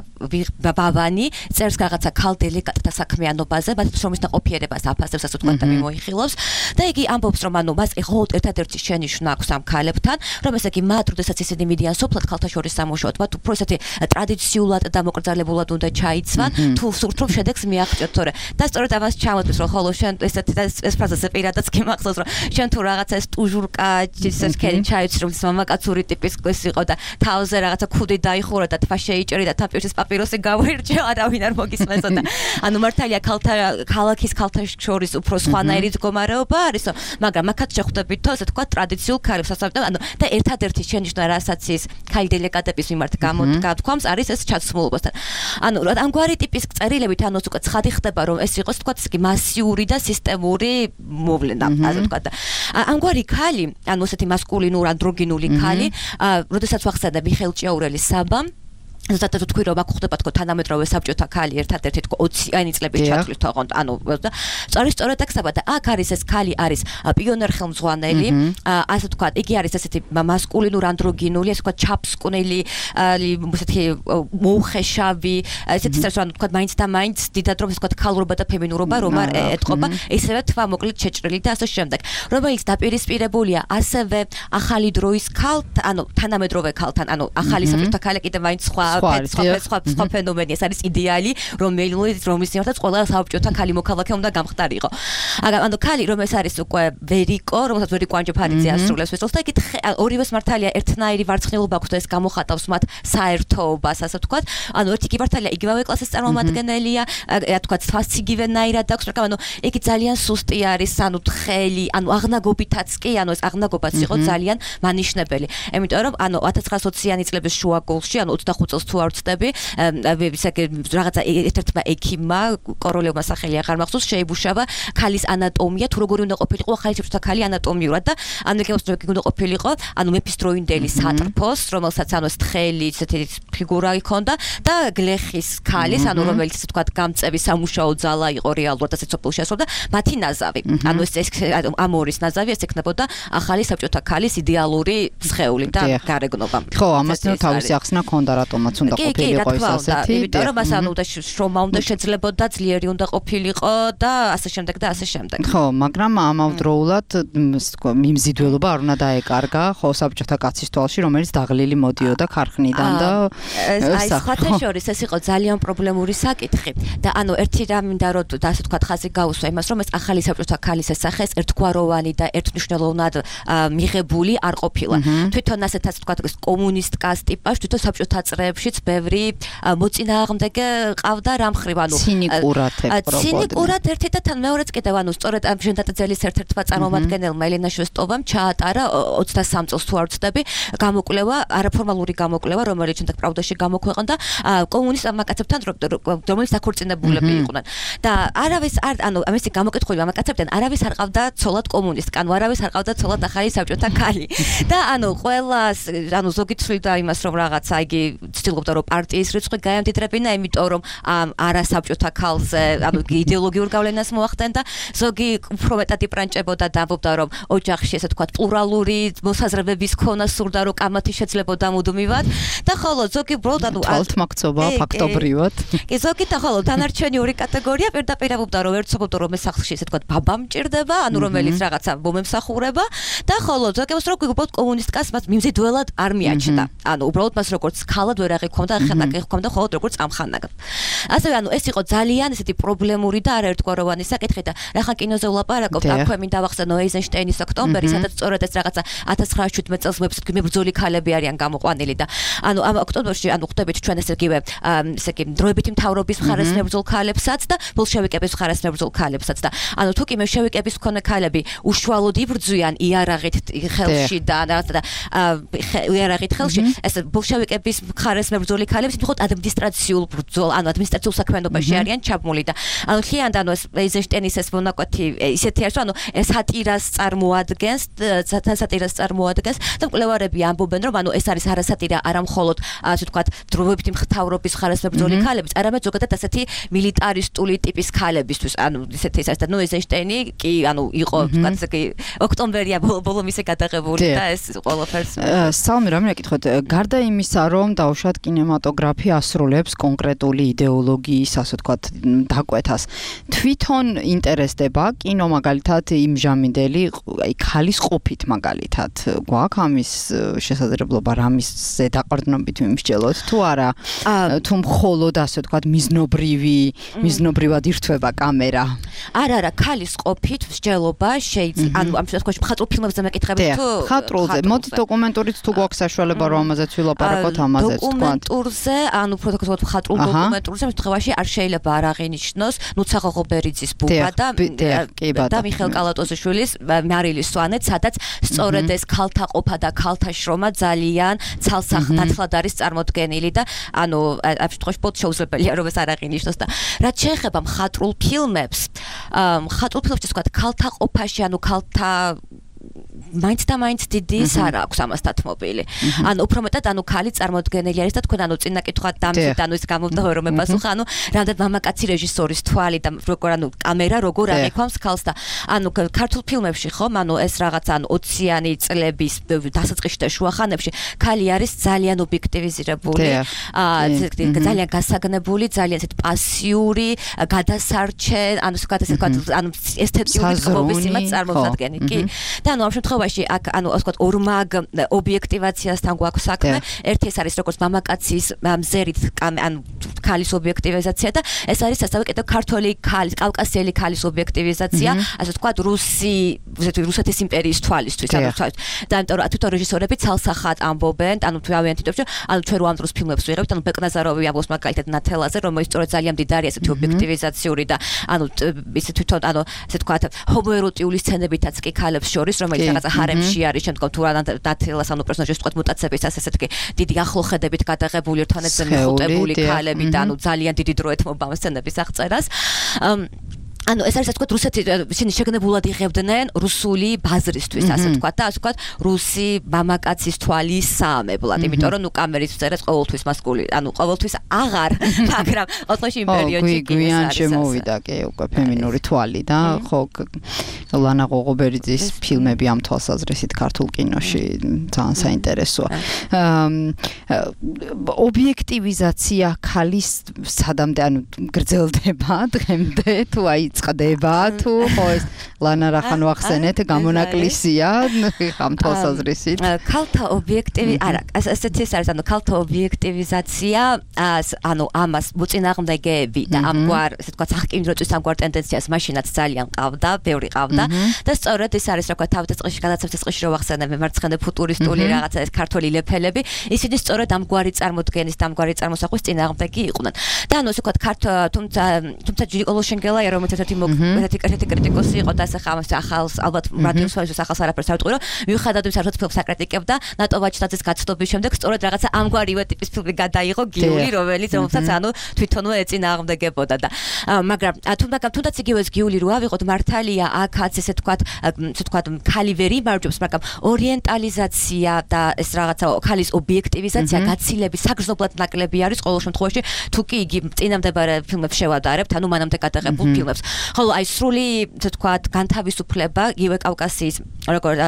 ბაბანი წერს რაღაცა ქალ დელეგატთა საქმიანობაზე, მათ შრომის დაყოფიერებას აფასებს ასე და მიმოიხილავს და იგი ამბობს რომ ანუ მას ეხოთ ერთადერთი შენიშვნა აქვს ამ ქალებთან, რომ ესე იგი მათ როდესაც ისინი მიდიან სოფლად ქალთა შორის სამუშაოდ, მათ უფრო ესეთი ტრადიციულად და მოკრძალებულად უნდა ჩაიცვან, თუ სურთ რომ შედეგს მიაღწიოთ, თორე და სწორედ ამას ჩამოთვლის რომ ხოლო შენ ესეთი და ეს ფრაზაზე პირადად გიმახსოვს რომ შენ თუ რაღაცა ეს ტუჟურკა ის ქერი ჩაიცვი რომ მამაკაცური ტიპის ის იყო და თავზე რაღაცა ქუდი დაიხურა და თვა შეიჭერი და თამპირსის პაპიროსი გავირჩა, არავინ არ მოგისმენსოდა. ანუ მართალია ქალთა ქალაქის ქალთა შორის უფრო სხვანაირი მდგომარეობა არის, მაგრამ მაგათ შეხვდებით თო, ასე თქვა, ტრადიციულ ქალებს ასწავლეთ, ანუ და ერთადერთი შენიშვნა, რასაც ის ქალი დელეგატების მიმართ გამოთქვამს, არის ეს ჩაცმულობასთან. ანუ ამგვარი ტიპის წერილებით ანუ უკვე ცხადი ხდება, რომ ეს იყოს თქვა, ისე მასიური და სისტემური მოვლენა, ასე თქვა. ამგვარი ქალი, ანუ ესეთი მასკულინურ ანდროგინული ქალი, როდესაც ვახსენე მიხეილ ჭიაურელის საბამ ზუსტად თქვი რომ აქ ხდება თქო თანამედროვე საბჭოთა ქალი ერთადერთი თქო ოციანი წლების ჩათვლით თქო ანუ და სწორედ სწორედ აქ და აქ არის ეს ქალი არის პიონერ ხელმძღვანელი ასე თქვა იგი არის ესეთი მასკულინურ ანდროგინული ასე თქვა ჩაფსკვნელი ესეთი მოუხეშავი ესეთი სერწმუნო თქვა მაინც და მაინც დიდად რომ ასე თქვა ქალურობა და ფემინურობა რომ არ ეთყობა ესევე თქვა მოკლედ შეჭრილი და ასე შემდეგ რომელიც დაპირისპირებულია ასევე ახალი დროის ქალთ ანუ თანამედროვე ქალთან ანუ ახალი საბჭოთა ქალი კიდე მაინც სხვა სხვა სხვა ფენომენი ეს არის იდეალი რომელიც რომლის მიმართაც ყველა საბჭოთა ქალი მოქალაქე უნდა გამხდარიყო. ანუ ქალი რომ ეს არის უკვე ვერიკო რომელსაც ვერიკო ანჯაფარიძე ასრულებს ვეცილს და იქით ორივეს მართალია ერთნაირი ვარცხნილობა აქვს და ეს გამოხატავს მათ საერთოობას ასე ვთქვათ. ანუ ერთი კი მართალია იგივე კლასის წარმომადგენელია რა თქვა თვას იგივენაირად აქვს მაგრამ ანუ იგი ძალიან სუსტი არის ანუ თხელი ანუ აღნაგობითაც კი ანუ ეს აღნაგობაც იყო ძალიან მანიშნებელი. იმიტომ რომ ანუ ათას ცხრაასოციანი წლების შუაგულში ანუ ოცდახუთ წელს თუ არ ვცდები ისე რაღაცა ერთ-ერთმა ექიმმა კოროლევმა სახელი აღარ მახსოვს შეიბუშავა ქალის ანატომია თუ როგორი უნდა ყოფილიყო ახალი საბჭოთა ქალი ანატომიურად და ანუ ეგ უნდა ყოფილიყო ანუ მეფისდროინდელი სატრფოს რომელსაც ანუ ეს თხელი ისეთი ფიგურა იქონდა და გლეხის ქალის ანუ რომელიც ისე თქვა გამწევი სამუშაო ძალა იყო რეალურად ასე სოფელში ასვლა და მათი ნაზავი ანუ ეს ამ ორის ნაზავი ეს ექნებოდა ახალი საბჭოთა ქალის იდეალური სხეული და გარეგნობა. ხო, ამას თავისი ახსნა ქონდა რატომაც რაც უნდა ყოფილიყო ეს ასეთი. იმიტომ რომ მას ანუ უნდა შრომა უნდა შეძლებოდა, ძლიერი უნდა ყოფილიყო და ასე შემდეგ და ასე შემდეგ. ხო, მაგრამ ამავდროულად მიმზიდველობა არ უნდა დაეკარგა ხო საბჭოთა კაცის თვალში, რომელიც დაღლილი მოდიოდა ქარხნიდან და აი სხვათა შორის ეს იყო ძალიან პრობლემური საკითხი და ანუ ერთი რამ მინდა რომ ასე თქვა ხაზი გაუსვა იმას რომ ეს ახალი საბჭოთა ქალის სახე ერთგვაროვანი და ერთნიშნულოვნად მიღებული არ ყოფილა. თვითონ ასეთ ასე თქვა კომუნისტ კასტიპას თვითონ საბჭოთა წრეებშიც ბევრი მოწინააღმდეგე ყავდა რამ ხრივ ანუ ცინიკურად ეპრობოდნენ. ცინიკურად ერთი და თან მეორეც კიდევ ანუ სწორედ ამ ჟენდატაძელის ერთ-ერთმა წარმომადგენელმა ელენა შვესტოვამ ჩაატარა ოცდასამ წელს თუ არ ვცდები გამოკვლევა არაფორმალური გამოკვლევა რომელიც შემდეგ პრავდაში გამოქვეყნდა კომუნისტ მამაკაცებთან რომელიც დაქორწინებულები იყვნენ და არავის არ ანუ ამისი გამოკითხული მამაკაცებთან არავის არ ყავდა ცოლად კომუნისტკან არავის არ ყავდა ცოლად ახალი საბჭოთა ქალი და ანუ ყველას ანუ ზოგი ცვლიდა იმას რომ რაღაცა იგი ცდილობდა რომ პარტიის რიცხვი გაემდიდრებინა იმიტომ რომ არა საბჭოთა ქალზე ანუ იდეოლოგიურ გავლენას მოახდენდა ზოგი უფრო მეტად იპრანჭებოდა და ამბობდა რომ ოჯახში ესე თქვა პლურალური მოსაზრებების ქონა სურდა რომ კამათი შეძლებოდა მუდმივად და ხოლო ზოგი ბროდ ანუ თვალთმაქცობა ფაქტობრივად კი ზოგი და ხოლო დანარჩენი ორი კატეგორია პირდაპირ ამბობდა რომ ერთ სოფელთან რომ ეს სახლში ესე თქვა ბაბა მჭირდება ანუ რომელიც რაღაცა მომემსახურება და ხოლო ზოგი მას რო უბრალოდ კომუნისტკას მას მიმზიდველად არ მიაჩნდა ანუ უბრალოდ მას როგორც ქალად ვერ აღიქონდა ხანაკი ხონდა ხოლო როგორც ამხანაგ ასევე ანუ ეს იყო ძალიან ესეთი პრობლემური და არაერთგვაროვანი საკითხი და რახან კინოზე ვლაპარაკობ აქვე მინდა ვახსენო ეიზენშტეინის ოქტომბერი სადაც სწორედ ეს რაღაცა ათას ცხრაასი წელს ვებსაიტი მებრძოლი ქალები არიან გამოყვანილი და ანუ ამ ოქტომბერში ანუ ხვდებით ჩვენ ესე იგივე ესე იგი დროებითი მთავრობის მხარეს მებრძოლ ქალებსაც და ბოლშევიკების მხარეს მებრძოლ ქალებსაც და ანუ თუ კი მენშევიკების მქონე ქალები უშუალოდ იბრძვიან იარაღით ხელში და და იარაღით ხელში ეს ბოლშევიკების მხარეს მებრძოლი ქალები მხოლოდ ადმინისტრაციულ ბრძოლ ანუ ადმინისტრაციულ საქმიანობაში არიან ჩაბმული და ანუ ხიან ანუ ეს ეიზენშტეინის ეს მონაკვეთი ისეთი არის ანუ ეს სატირას წარმოადგენს სატირას წარმოადგენს და მკვლევარები ამბობენ რომ ანუ ეს არის არასატირა არა მხოლოდ ასე ვთქვათ დროებითი მთავრობის მხარეს მებრძოლი ქალების არამედ ზოგადად ასეთი მილიტარისტული ტიპის ქალებისთვის ანუ ისეთი ეს არის და ნუ ეიზენშტეინი კი ანუ იყო ვთქვათ ესე კი ოქტომბერია ბოლომ ისე გადაღებული და ეს ყველაფერს სალმი რა მეკითხოთ გარდა იმისა რომ დაუშვათ კინემატოგრაფი ასრულებს კონკრეტული იდეოლოგიის ასე ვთქვათ დაკვეთას თვითონ ინტერესდება კინო მაგალითად იმჟამინდელი აი ქალის ყოფით მაგალითად გვაქვს ამის შესაძლებლობა რამისზე დაყრდნობით მიმსჯელოთ თუ არა თუ მხოლოდ ასე ვთქვათ მიზნობრივი მიზნობრივად ირთვება კამერა არა არა ქალის ყოფით მსჯელობა შეიძლება ანუ ამ შემთხვევაში მხატვრულ ფილმებზე მეკითხებით თუ მხატვრულზე მოდი დოკუმენტურით თუ გვაქვს საშუალება რომ ამაზეც ვილაპარაკოთ ამაზეც თქვა დოკუმენტურზე ანუ პროტოკოლად მხატვრულ დოკუმენტურზე შემთხვევაში არ შეიძლება არ აღინიშნოს ნუცაღო ბერიძის ბუბა და და მიხეილ კალატოზიშვილის მარილის სვანეთ სადაც სწორედ ეს ქალთა ყოფა და ქალთა შრომა ძალიან ცალსახნათლად არის წარმოდგენილი და ანუ ამ შემთხვევაში პოთ შეუძლებელია რომ ეს არ აღინიშნოს და რაც შეეხება მხატვრულ ფილმებს მხატვრულ ფილმებში თქვა ქალთა ყოფაში ანუ ქალთა მაინც და მაინც დიდი სარა აქვს ამას დათმობილი. ანუ უფრო მეტად ანუ ქალი წარმოდგენილი არის და თქვენ ანუ წინა კითხვა დამძით ანუ ის გამოვდაო რომ მეპასუხა ანუ რამდენ მამაკაცი რეჟისორის თვალი და როგორ ანუ კამერა როგორ აღიქვამს ქალს და ანუ ქართულ ფილმებში ხომ ანუ ეს რაღაც ანუ ოციანი წლების დასაწყისში და შუახანებში ქალი არის ძალიან ობიექტივიზირებული ძალიან გასაგნებული ძალიან ესეთ პასიური გადასარჩე ანუ გადასარჩე ანუ ესთეტიური ხმობის იმას წარმოადგენი კი და ანუ ამ შემთხვევაში აქ ანუ ასე ვთქვათ ორმაგ ობიექტივაციასთან გვაქვს საქმე ერთი ეს არის როგორც მამაკაცის მზერით ანუ ქალის ობიექტივიზაცია და ეს არის ასევე კიდევ ქართველი ქალის კავკასიელი ქალის ობიექტივიზაცია ასე ვთქვათ რუსი რუსეთის იმპერიის თვალისთვის ანუ და ამიტომ თვითონ რეჟისორები ცალსახად ამბობენ ანუ თუ ავიან თვითონ ანუ ჩვენ რო ამ დროს ფილმებს ვიღებთ ანუ ბეკნაზაროვი ამბობს მაგალითად ნათელაზე რომელიც სწორედ ძალიან მდიდარი ესეთი ობიექტივიზაციური და ანუ ისე თვითონ ანუ ასე ვთქვათ ჰომოეროტიული სცენებითაც კი ქალებს შორის რომელიც რაღაცა ჰარემში არის შემდგომ თუ რა ნათელას ანუ პერსონაჟის ვთქვათ მუტაციებისას ესეთი დიდი ახლოხედებით გადაღებული ერთმანეთზე მეხუტებული ქალები და ანუ ძალიან დიდი დრო ეთმობა ამ სცენების აღწერას ანუ ეს არის ასე ვთქვათ რუსეთი ისინი შეგნებულად იღებდნენ რუსული ბაზრისთვის ასე ვთქვათ და ასე ვთქვათ რუსი მამაკაცის თვალის საამებლად იმიტომ რომ ნუ კამერის წერას ყოველთვის მასკული ანუ ყოველთვის აღარ მაგრამ ოთხში იმ პერიოდში გვიან შემოვიდა კი უკვე ფემინური თვალი და ხო ლანა ღოღობერიძის ფილმები ამ თვალსაზრისით ქართულ კინოში ძალიან საინტერესოა ობიექტივიზაცია ქალის სადამდე ანუ გრძელდება დღემდე თუ აი წყდება თუ ხო ეს ლანა რახანო ახსენეთ გამონაკლისია ამ თვალსაზრისით ქალთა ობიექტივი არა ასეთი ეს არის ანუ ქალთა ობიექტივიზაცია ანუ ამას მოწინააღმდეგეები და ამგვარ ესე ვთქვათ სახკინროწვის ამგვარ ტენდენციას მაშინაც ძალიან ყავდა ბევრი ყავდა და სწორედ ეს არის რა ვთქვათ თავის წესში გადაცემის წესში რო ვახსენებ მემარცხენე ფუტურისტული რაღაცა ეს ქართული ლეფელები ისინი სწორედ ამგვარი წარმოდგენის და ამგვარი წარმოსახვის წინააღმდეგი იყვნენ და ანუ ესე ვთქვათ ქართ თუმცა თუმცა ჯიკოლო შენგელაია რომელიც ერთი ერთი კრიტიკოსი კრიტიკოსი იყო და ეს ახალს ალბათ რადიოს სოციალურ ახალს არაფერს არ ვიტყვი რომ მიუხედავად იმისა რომ ფილმს აკრიტიკებდა ნატო ვაჩნაძის გაცნობის შემდეგ სწორედ რაღაცა ამგვარივე ტიპის ფილმი გადაიღო გიული რომელიც რომელსაც ანუ თვითონვე ეწინააღმდეგებოდა და მაგრამ თუნდაც თუნდაც იგივე ეს გიული რო ავიღოთ მართალია აქაც ესე ვთქვათ ესე ვთქვათ ქალი ვერ იმარჯვებს მაგრამ ორიენტალიზაცია და ეს რაღაცა ქალის ობიექტივიზაცია გაცილების საგრძნობლად ნაკლები არის ყოველ შემთხვევაში თუ კი იგი წინამდებარე ფილმებს შევადარებთ ანუ მანამდე გადაღებულ ფილმებს ხოლო აი სრული ესე ვთქვათ განთავისუფლება იგივე კავკასიის როგორ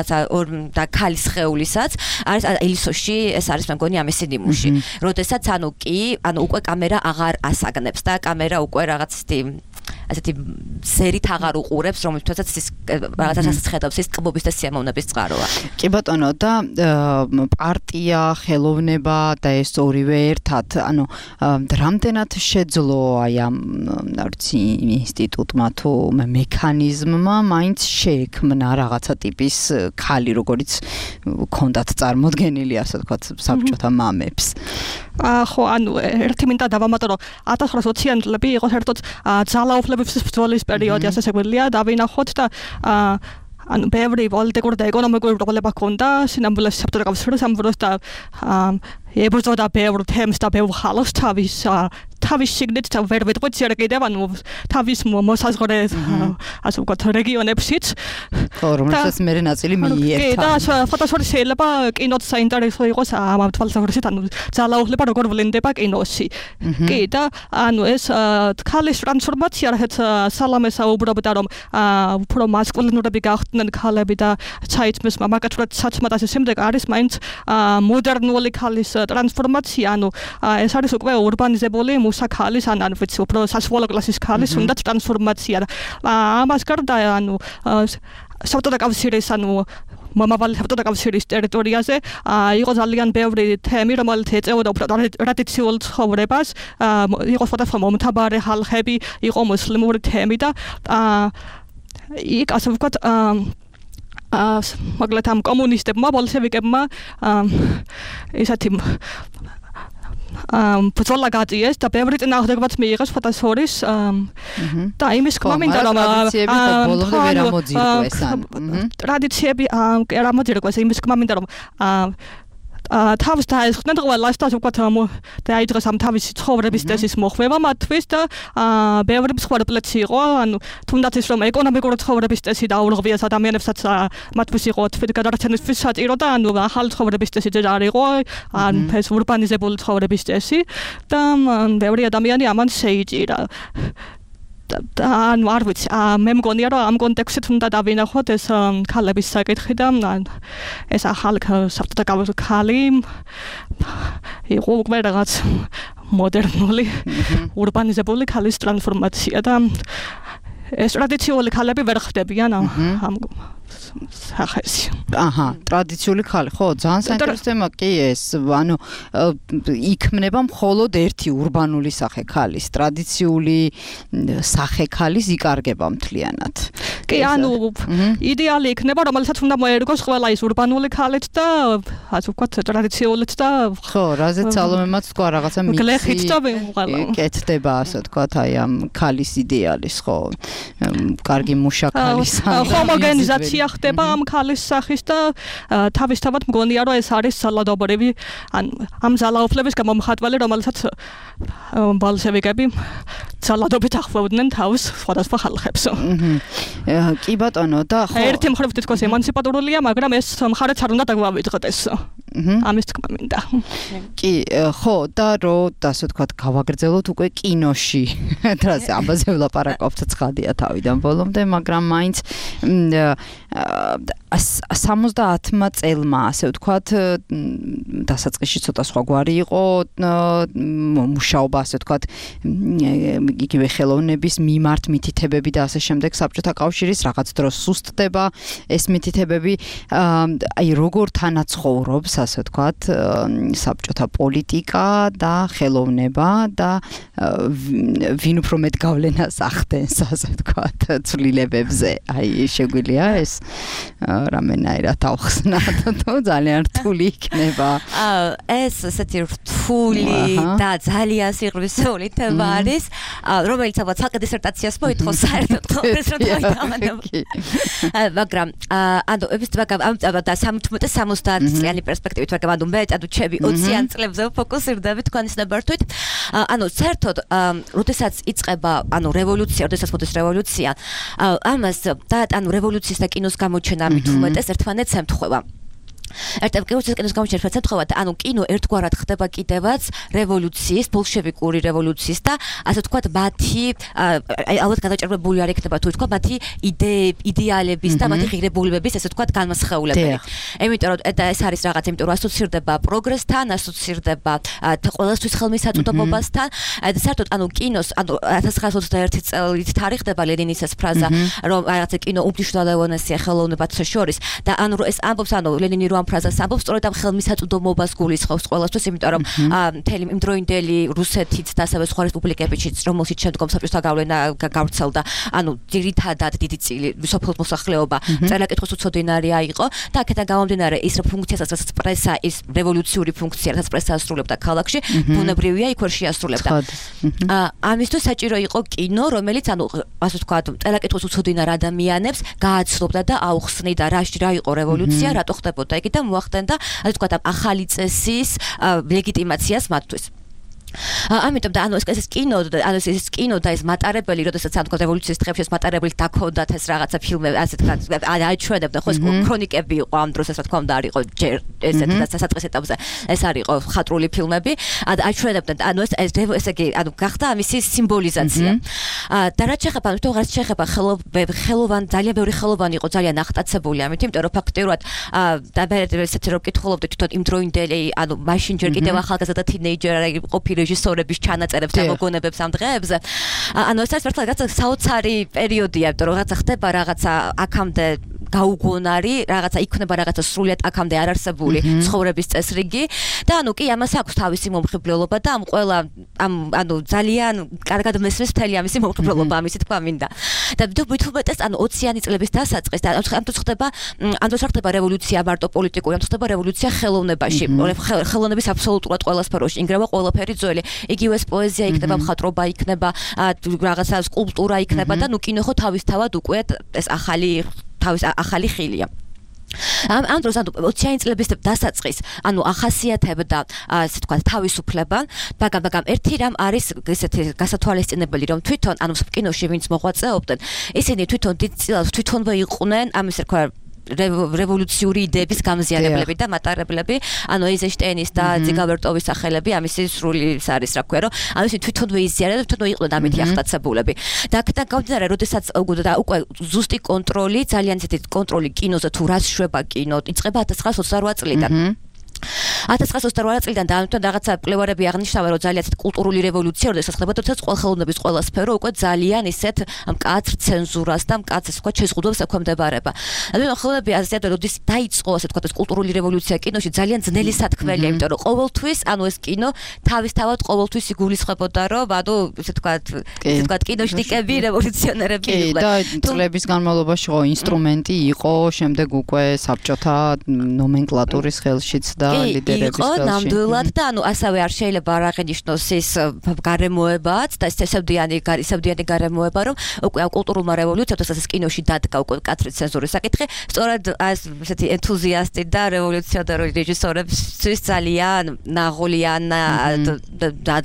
და ქალის ხეულისაც არის ელისოში ეს არის მე მგონი ამ ესენიმუში როდესაც ანუ კი ანუ უკვე კამერა აღარ ასაგნებს და კამერა უკვე რაღაც ისეთი ასეთი სერით აღარ უყურებს რომელთაც ის რაღაცას ხედავს ის ტკბობის და სიამოვნების წყაროა კი ბატონო და პარტია ხელოვნება და ეს ორივე ერთად ანუ რამდენად შეძლო აი ამ არცი ინსტიტუტმა თუ მექანიზმმა მაინც შეექმნა რაღაცა ტიპის ქალი როგორც ქონდათ წარმოდგენილი ასე ვთქვათ საბჭოთა მამებს ხო ანუ ერთი მინდა დავამატო რომ ათას ცხრაასი ოციანი წლები იყო საერთოდ ძალაუფლების ბრძოლის პერიოდი ასე შეგვიძლია დავინახოთ და ანუ ბევრი პოლიტიკური და ეკონომიკური პრობლემა ჰქონდა სინამდვილეში საბჭოთა კავშირის სამბუროს და ებრძოდა ბევრ თემს და ბევრ ხალხს თავის თავის შიგნით ვერ ვეტყვით ზიარ კიდევ ანუ თავის მოსაზღვრე ასე ვთქვათ რეგიონებშიც ხო რომელსაც მე ნაწილი მიიერთა კი და ფოტოსური შეიძლება კინოც საინტერესო იყოს ამ თვალსაზრისით ანუ ძალაუფლება როგორ ვლინდება კინოში კი და ანუ ეს ქალის ტრანსფორმაცია რაც სალამე საუბრობდა რომ უფრო მასკულინურები გახდნენ ქალები და ჩაითმეს მამაკაცურად საცმად ასე შემდეგ არის მაინც მოდერნული ქალის ტრანსფორმაცია ანუ ეს არის უკვე ურბანიზებული მუსა ქალის ან ან ვიცი უფრო სასწავლო კლასის ქალის უნდა ტრანსფორმაცია ამას გარდა ანუ საბჭოთა კავშირის ანუ მომავალი საბჭოთა კავშირის ტერიტორიაზე იყო ძალიან ბევრი თემი რომელიც ეწეოდა უფრო ტრადიციულ ცხოვრებას იყო სხვადასხვა მომთაბარე ხალხები იყო მუსლიმური თემი და იქ ასე ვთქვათ აა მაგალითად ამ კომუნისტებმა ბოლშევიკებმა ესეთი ამ ბრძოლა გაწიეს და ბევრი წინააღმდეგობაც მიიღეს ფოტოსორის და იმის თქმა მინდა რომ ტრადიციები არ ამოძირკვეს იმის თქმა მინდა რომ თავს დაესხდნენ ყველას და ვთქვათ დაიძრეს ამ თავისი ცხოვრების წესის მოხვევა მათთვის და ბევრი მსხვერპლიც იყო ანუ თუნდაც ის რომ ეკონომიკური ცხოვრების წესი დაურღვიეს ადამიანებსაც მათთვის იყო თვით გადარჩენისთვის საჭირო და ანუ ახალი ცხოვრების წესი ძერ არ იყო ან ეს ურბანიზებული ცხოვრების წესი და ბევრი ადამიანი ამან შეიჭირა ანუ არ ვიცი მე მგონია რომ ამ კონტექსტით უნდა დავინახოთ ეს ქალების საკითხი და ეს ახალი საბჭოთა კავშირის ქალი იყო უკვე რაღაც მოდერნული ურბანიზებული ქალის ტრანსფორმაცია და ეს ტრადიციული ქალები ვერ ხდებიან ამ სახეში. აჰა, ტრადიციული ქალი, ხო, ძალიან საინტერესო თემა კი ეს, ანუ იქმნება მხოლოდ ერთი ურბანული სახე ქალის, ტრადიციული სახე ქალის იკარგება მთლიანად. კი, ანუ იდეალი იქნება, რომელსაც უნდა მოერგოს ყველა ის ურბანული ქალიც და ასე ვთქვათ, ტრადიციულიც და ხო, რაზეც სალომემაც თქვა რაღაცა მixi. გლეხით და ყველა. კეთდება, ასე ვთქვათ, აი ამ ქალის იდეალის, ხო. კარგი მუშა ქალის. ჰომოგენიზაცია რევოლუცია ხდება ამ ქალის სახის და თავისთავად მგონია რომ ეს არის ძალადობრივი ან ამ ძალაუფლების გამომხატველი რომელსაც ბოლშევიკები ძალადობით ახვევდნენ თავს სხვადასხვა ხალხებს. კი ბატონო და ხო ერთი მხრივ თითქოს ემანციპატორულია, მაგრამ ეს მხარეც არ უნდა დაგვავიწყდეს. ამის თქმა მინდა. კი, ხო და რო ასე ვთქვათ, გავაგრძელოთ უკვე კინოში. დრაზე ამაზე ვლაპარაკობთ ცხადია თავიდან ბოლომდე, მაგრამ მაინც სამოცდაათმა წელმა ასე ვთქვათ, დასაწყისში ცოტა სხვაგვარი იყო მუშაობა ასე ვთქვათ, იგივე ხელოვნების მიმართ მითითებები და ასე შემდეგ საბჭოთა კავშირის რაღაც დროს სუსტდება ეს მითითებები, აი როგორ თანაცხოვრობს ასე ვთქვათ, საბჭოთა პოლიტიკა და ხელოვნება და ვინ უფრო მეტ გავლენას ახდენს ასე ვთქვათ ცვლილებებზე. აი შეგვიძლია ეს რამენაირად ავხსნათ თუ ძალიან რთული იქნება. ეს ესეთი რთული და ძალიან სიღრმისეული თემა არის, რომელიც ალბათ ცალკე დისერტაციას მოითხოვს საერთოდ ეს რა დავიტანებ. მაგრამ ანუ ეს და სამოცდაათ წლიანი პერსპექტივით, მაგრამ ანუ მე ანუ ჩემი ოციან წლებზე ფოკუსირდები თქვენი ნებართვით. ანუ საერთოდ როდესაც იწყება ანუ რევოლუცია, როდესაც მოდის რევოლუცია, ამას და ანუ რევოლუციის და კინოს გამოჩენა მით უმეტეს ერთმანეთს ემთხვევა. ერთად კინოს კინოს გამოჩენა ერთმანეთს ემთხვევა და ანუ კინო ერთგვარად ხდება კიდევაც რევოლუციის, ბოლშევიკური რევოლუციის და ასე ვთქვათ მათი ალბათ გადაჭარბებული არ იქნება თუ ვთქვა მათი იდეალების და მათი ღირებულებების ასე ვთქვათ განმასხეულებელი. იმიტომ რომ ეს არის რაღაც, იმიტომ რომ ასოცირდება პროგრესთან, ასოცირდება ყველასთვის ხელმისაწვდომობასთან. საერთოდ ანუ კინოს ანუ ათას ცხრაასოცდაერთი წელით თარიღდება ლენინის ეს ფრაზა, რომ რაღაცა კინო უმნიშვნელოვანესია ხელოვნებათა შორის და ანუ ეს ამბობს ანუ ლენინი ამ ფრაზას ამბობს სწორედ ამ ხელმისაწვდომობას გულისხმობს ყველასთვის, იმიტომ რომ მთელი იმდროინდელი რუსეთიც და ასევე სხვა რესპუბლიკებიც, რომელშიც შემდგომ საბჭოთა გავლენა გავრცელდა, ანუ ძირითადად დიდი წილი სოფლის მოსახლეობა წერა-კითხვის უცოდინარი აიყო და აქედან გამომდინარე ის ფუნქციასაც, რასაც პრესა, ის რევოლუციური ფუნქცია, რასაც პრესა ასრულებდა ქალაქში, ბუნებრივია იქ ვერ შეასრულებდა. ამისთვის საჭირო იყო კინო, რომელიც ანუ ასე ვთქვათ, წერა-კითხვის უცოდინარ ადამიანებს გააცნობდა და აუხსნიდა რა რა იყო რევოლუცია, რატო ხდებოდა იგი და მოახდენდა ასე ვთქვათ ახალი წესის ლეგიტიმაციას მათთვის. ამიტომ და ანუ ეს კინო ანუ ეს კინო და ეს მატარებელი, როდესაც ანუ რევოლუციის დღეებში ეს მატარებელი დაქონდათ ეს რაღაცა ფილმები, ასე ვთქვათ, აჩვენებდა ხო ეს ქრონიკები იყო ამ დროს, ასე ვთქვათ, არ იყო ჯერ ესეთი დასაწყის ეტაპზე ეს არ იყო ხატრული ფილმები, აჩვენებდნენ ანუ ეს ესე იგი ანუ გახდა ამისი სიმბოლიზაცია. და რაც შეეხება თუ რაც შეეხება ხელოვან ძალიან ბევრი ხელოვანი იყო ძალიან ახტაცებული ამით, იმიტომ რომ ფაქტიურად და მე ესეთი რომ კითხულობდი თვითონ იმ დროინდელი ანუ მაშინ ჯერ კიდევ ახალგაზრდა თინეიჯერი ყოფილი რეჟისორების ჩანაწერებს და მოგონებებს ამ დღეებზე. ანუ ეს საერთოდ რაღაცა საოცარი პერიოდია, იმიტომ რომ რაღაცა ხდება რაღაცა აქამდე გაუგონარი, რაღაცა იქნება რაღაცა სრულიად აქამდე არ არსებული ცხოვრების წესრიგი და ანუ კი ამას აქვს თავისი მომხიბვლელობა და ამ ყველა ამ ანუ ძალიან კარგად მესმის მთელი ამისი მომხიბვლელობა, ამისი თქვა მინდა. და თუმეტეს ანუ ოციანი წლების დასაწყის და ამ დროს ხდება ამ დროს ხდება რევოლუცია მარტო პოლიტიკური, ამ დროს ხდება რევოლუცია ხელოვნებაში, ხელოვნების აბსოლუტურად ყველა სფეროში ინგრევა ყველაფერი ძველი. იგივე ეს პოეზია იქნება, მხატვრობა იქნება, რაღაცა სკულპტურა იქნება და ნუ კინო ხო თავისთავად უკვე ეს ახალი თავის ახალი ხილია. ამ ამ დროს ანუ ოციანი წლების დასაწყის ანუ ახასიათებდა ასე თქვა თავისუფლება, მაგრამ მაგრამ ერთი რამ არის ესეთი გასათვალისწინებელი, რომ თვითონ ანუ კინოში ვინც მოღვაწეობდნენ, ისინი თვითონ დიდწილად თვითონვე იყვნენ ამის რა რევოლუციური იდეების გამზიანებლები და მატარებლები, ანუ ეიზენშტეინის და ძიგავერტოვის სახელები, ამისი სრული ის არის, რა ქვია, რომ ამისი თვითონვე იზიანებდნენ, თვითონვე იყვნენ ამითი ახტაცებულები. და აქედან გამომდინარე, როდესაც უკვე ზუსტი კონტროლი, ძალიან ისეთი კონტროლი კინოზე თუ რას შვება კინო, იწყება ათას ცხრაასოცდაოთხ წლიდან. ათას ცხრაასოცდაოთხ წლიდან და ამიტომ რაღაცა კვლევარები აღნიშნავენ, რომ ძალიან ისეთ კულტურული რევოლუცია, როდესაც ხდება, თორსა ყველა ხელოვნების ყველა სფერო უკვე ძალიან ისეთ მკაცრ ცენზურას და მკაცრ ასე ვთქვათ შეზღუდვებს ექვემდებარება. ანუ ხელოვნები ასე როდის დაიწყო ასე ვთქვათ ეს კულტურული რევოლუცია კინოში ძალიან ძნელი სათქმელია, იმიტომ რომ ყოველთვის ანუ ეს კინო თავისთავად ყოველთვის იგულისხმებოდა, რომ ანუ ასე ვთქვათ ასე ვთქვათ კინოშტიკები რევოლუციონერები იყვნენ. და წლების განმავლობაში ხო ინსტრუმენტი იყო შემდეგ უკვე საბჭოთა ნომენკლატურის ხელშიც და ლიდერების იყო ნამდვილად და ანუ ასევე არ შეიძლება არ აღინიშნოს ის გარემოებაც და ესებდიანი ისებდიანი გარემოება რომ უკვე კულტურულმა რევოლუციამ თორსა ეს კინოში დადგა უკვე კათრი ცენზურის საკითხი სწორედ ეს ესეთი ენთუზიასტი და რევოლუციონერი რეჟისორებისთვის ძალიან ნაღოლიან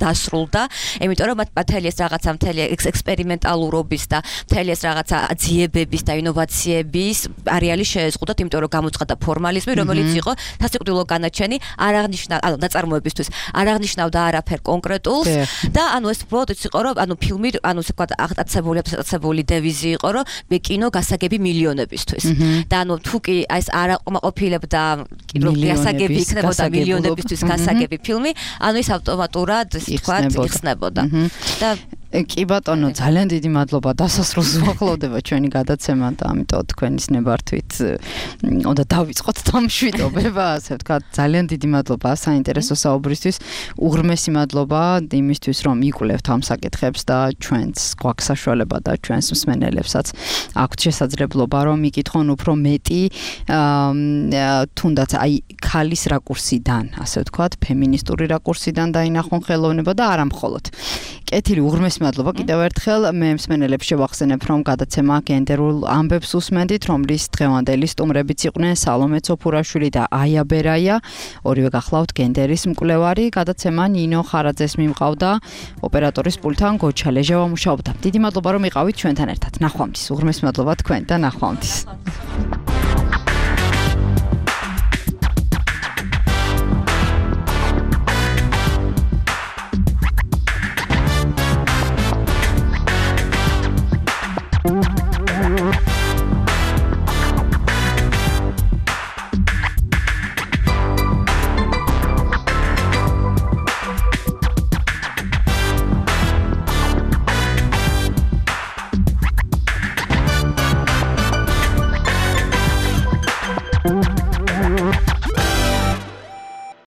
დასრულდა იმიტომ რომ მთელი ეს რაღაცა მთელი ექსპერიმენტალურობის და მთელი ეს რაღაცა ძიებების და ინოვაციების არეალი შეეზღუდათ იმიტომ რომ გამოცხადდა ფორმალიზმი რომელიც იყო სასიკვდილო განაჩენი არ აღნიშნა ანუ ნაწარმოებისთვის არ აღნიშნავდა არაფერ კონკრეტულს და ანუ ეს უბრალოდ იყო რომ ანუ ფილმი ანუ ასე ვთქვათ აღტაცებული აღტაცებული დევიზი იყო რომ მე კინო გასაგები მილიონებისთვის და ანუ თუ კი ეს არ აყოფილებდა კინო გასაგები იქნებოდა მილიონებისთვის გასაგები ფილმი ანუ ის ავტომატურად ასე ვთქვათ იხსნებოდა და კი ბატონო, ძალიან დიდი მადლობა დასასრულს ვახლოვდება ჩვენი გადაცემა და ამიტომ თქვენის ნებართვით უნდა დავიწყოთ დამშვიდობება, ასე ვთქვათ, ძალიან დიდი მადლობა საინტერესო საუბრისთვის. უღრმესი მადლობა იმისთვის, რომ იკვლევთ ამ საკითხებს და ჩვენც გვაქვს საშუალება და ჩვენს მსმენელებსაც აქვთ შესაძლებლობა, რომ იკითხონ უფრო მეტი თუნდაც აი ქალის რაკურსიდან, ასე ვთქვათ, ფემინისტური რაკურსიდან დაინახონ ხელოვნება და არა მხოლოდ. კეთილი უღრმესი მადლობა კიდევ ერთხელ მე მსმენელებს შევახსენებ რომ გადაცემა გენდერულ ამბებს უსმენდით რომლის დღევანდელი სტუმრებიც იყვნენ სალომე ცოფურაშვილი და აია ბერაია ორივე გახლავთ გენდერის მკვლევარი გადაცემა ნინო ხარაძეს მიმყავდა ოპერატორის პულტთან გოჩა ლეჟავა მუშაობდა დიდი მადლობა რომ იყავით ჩვენთან ერთად ნახვამდის უღრმესი მადლობა თქვენ და ნახვამდის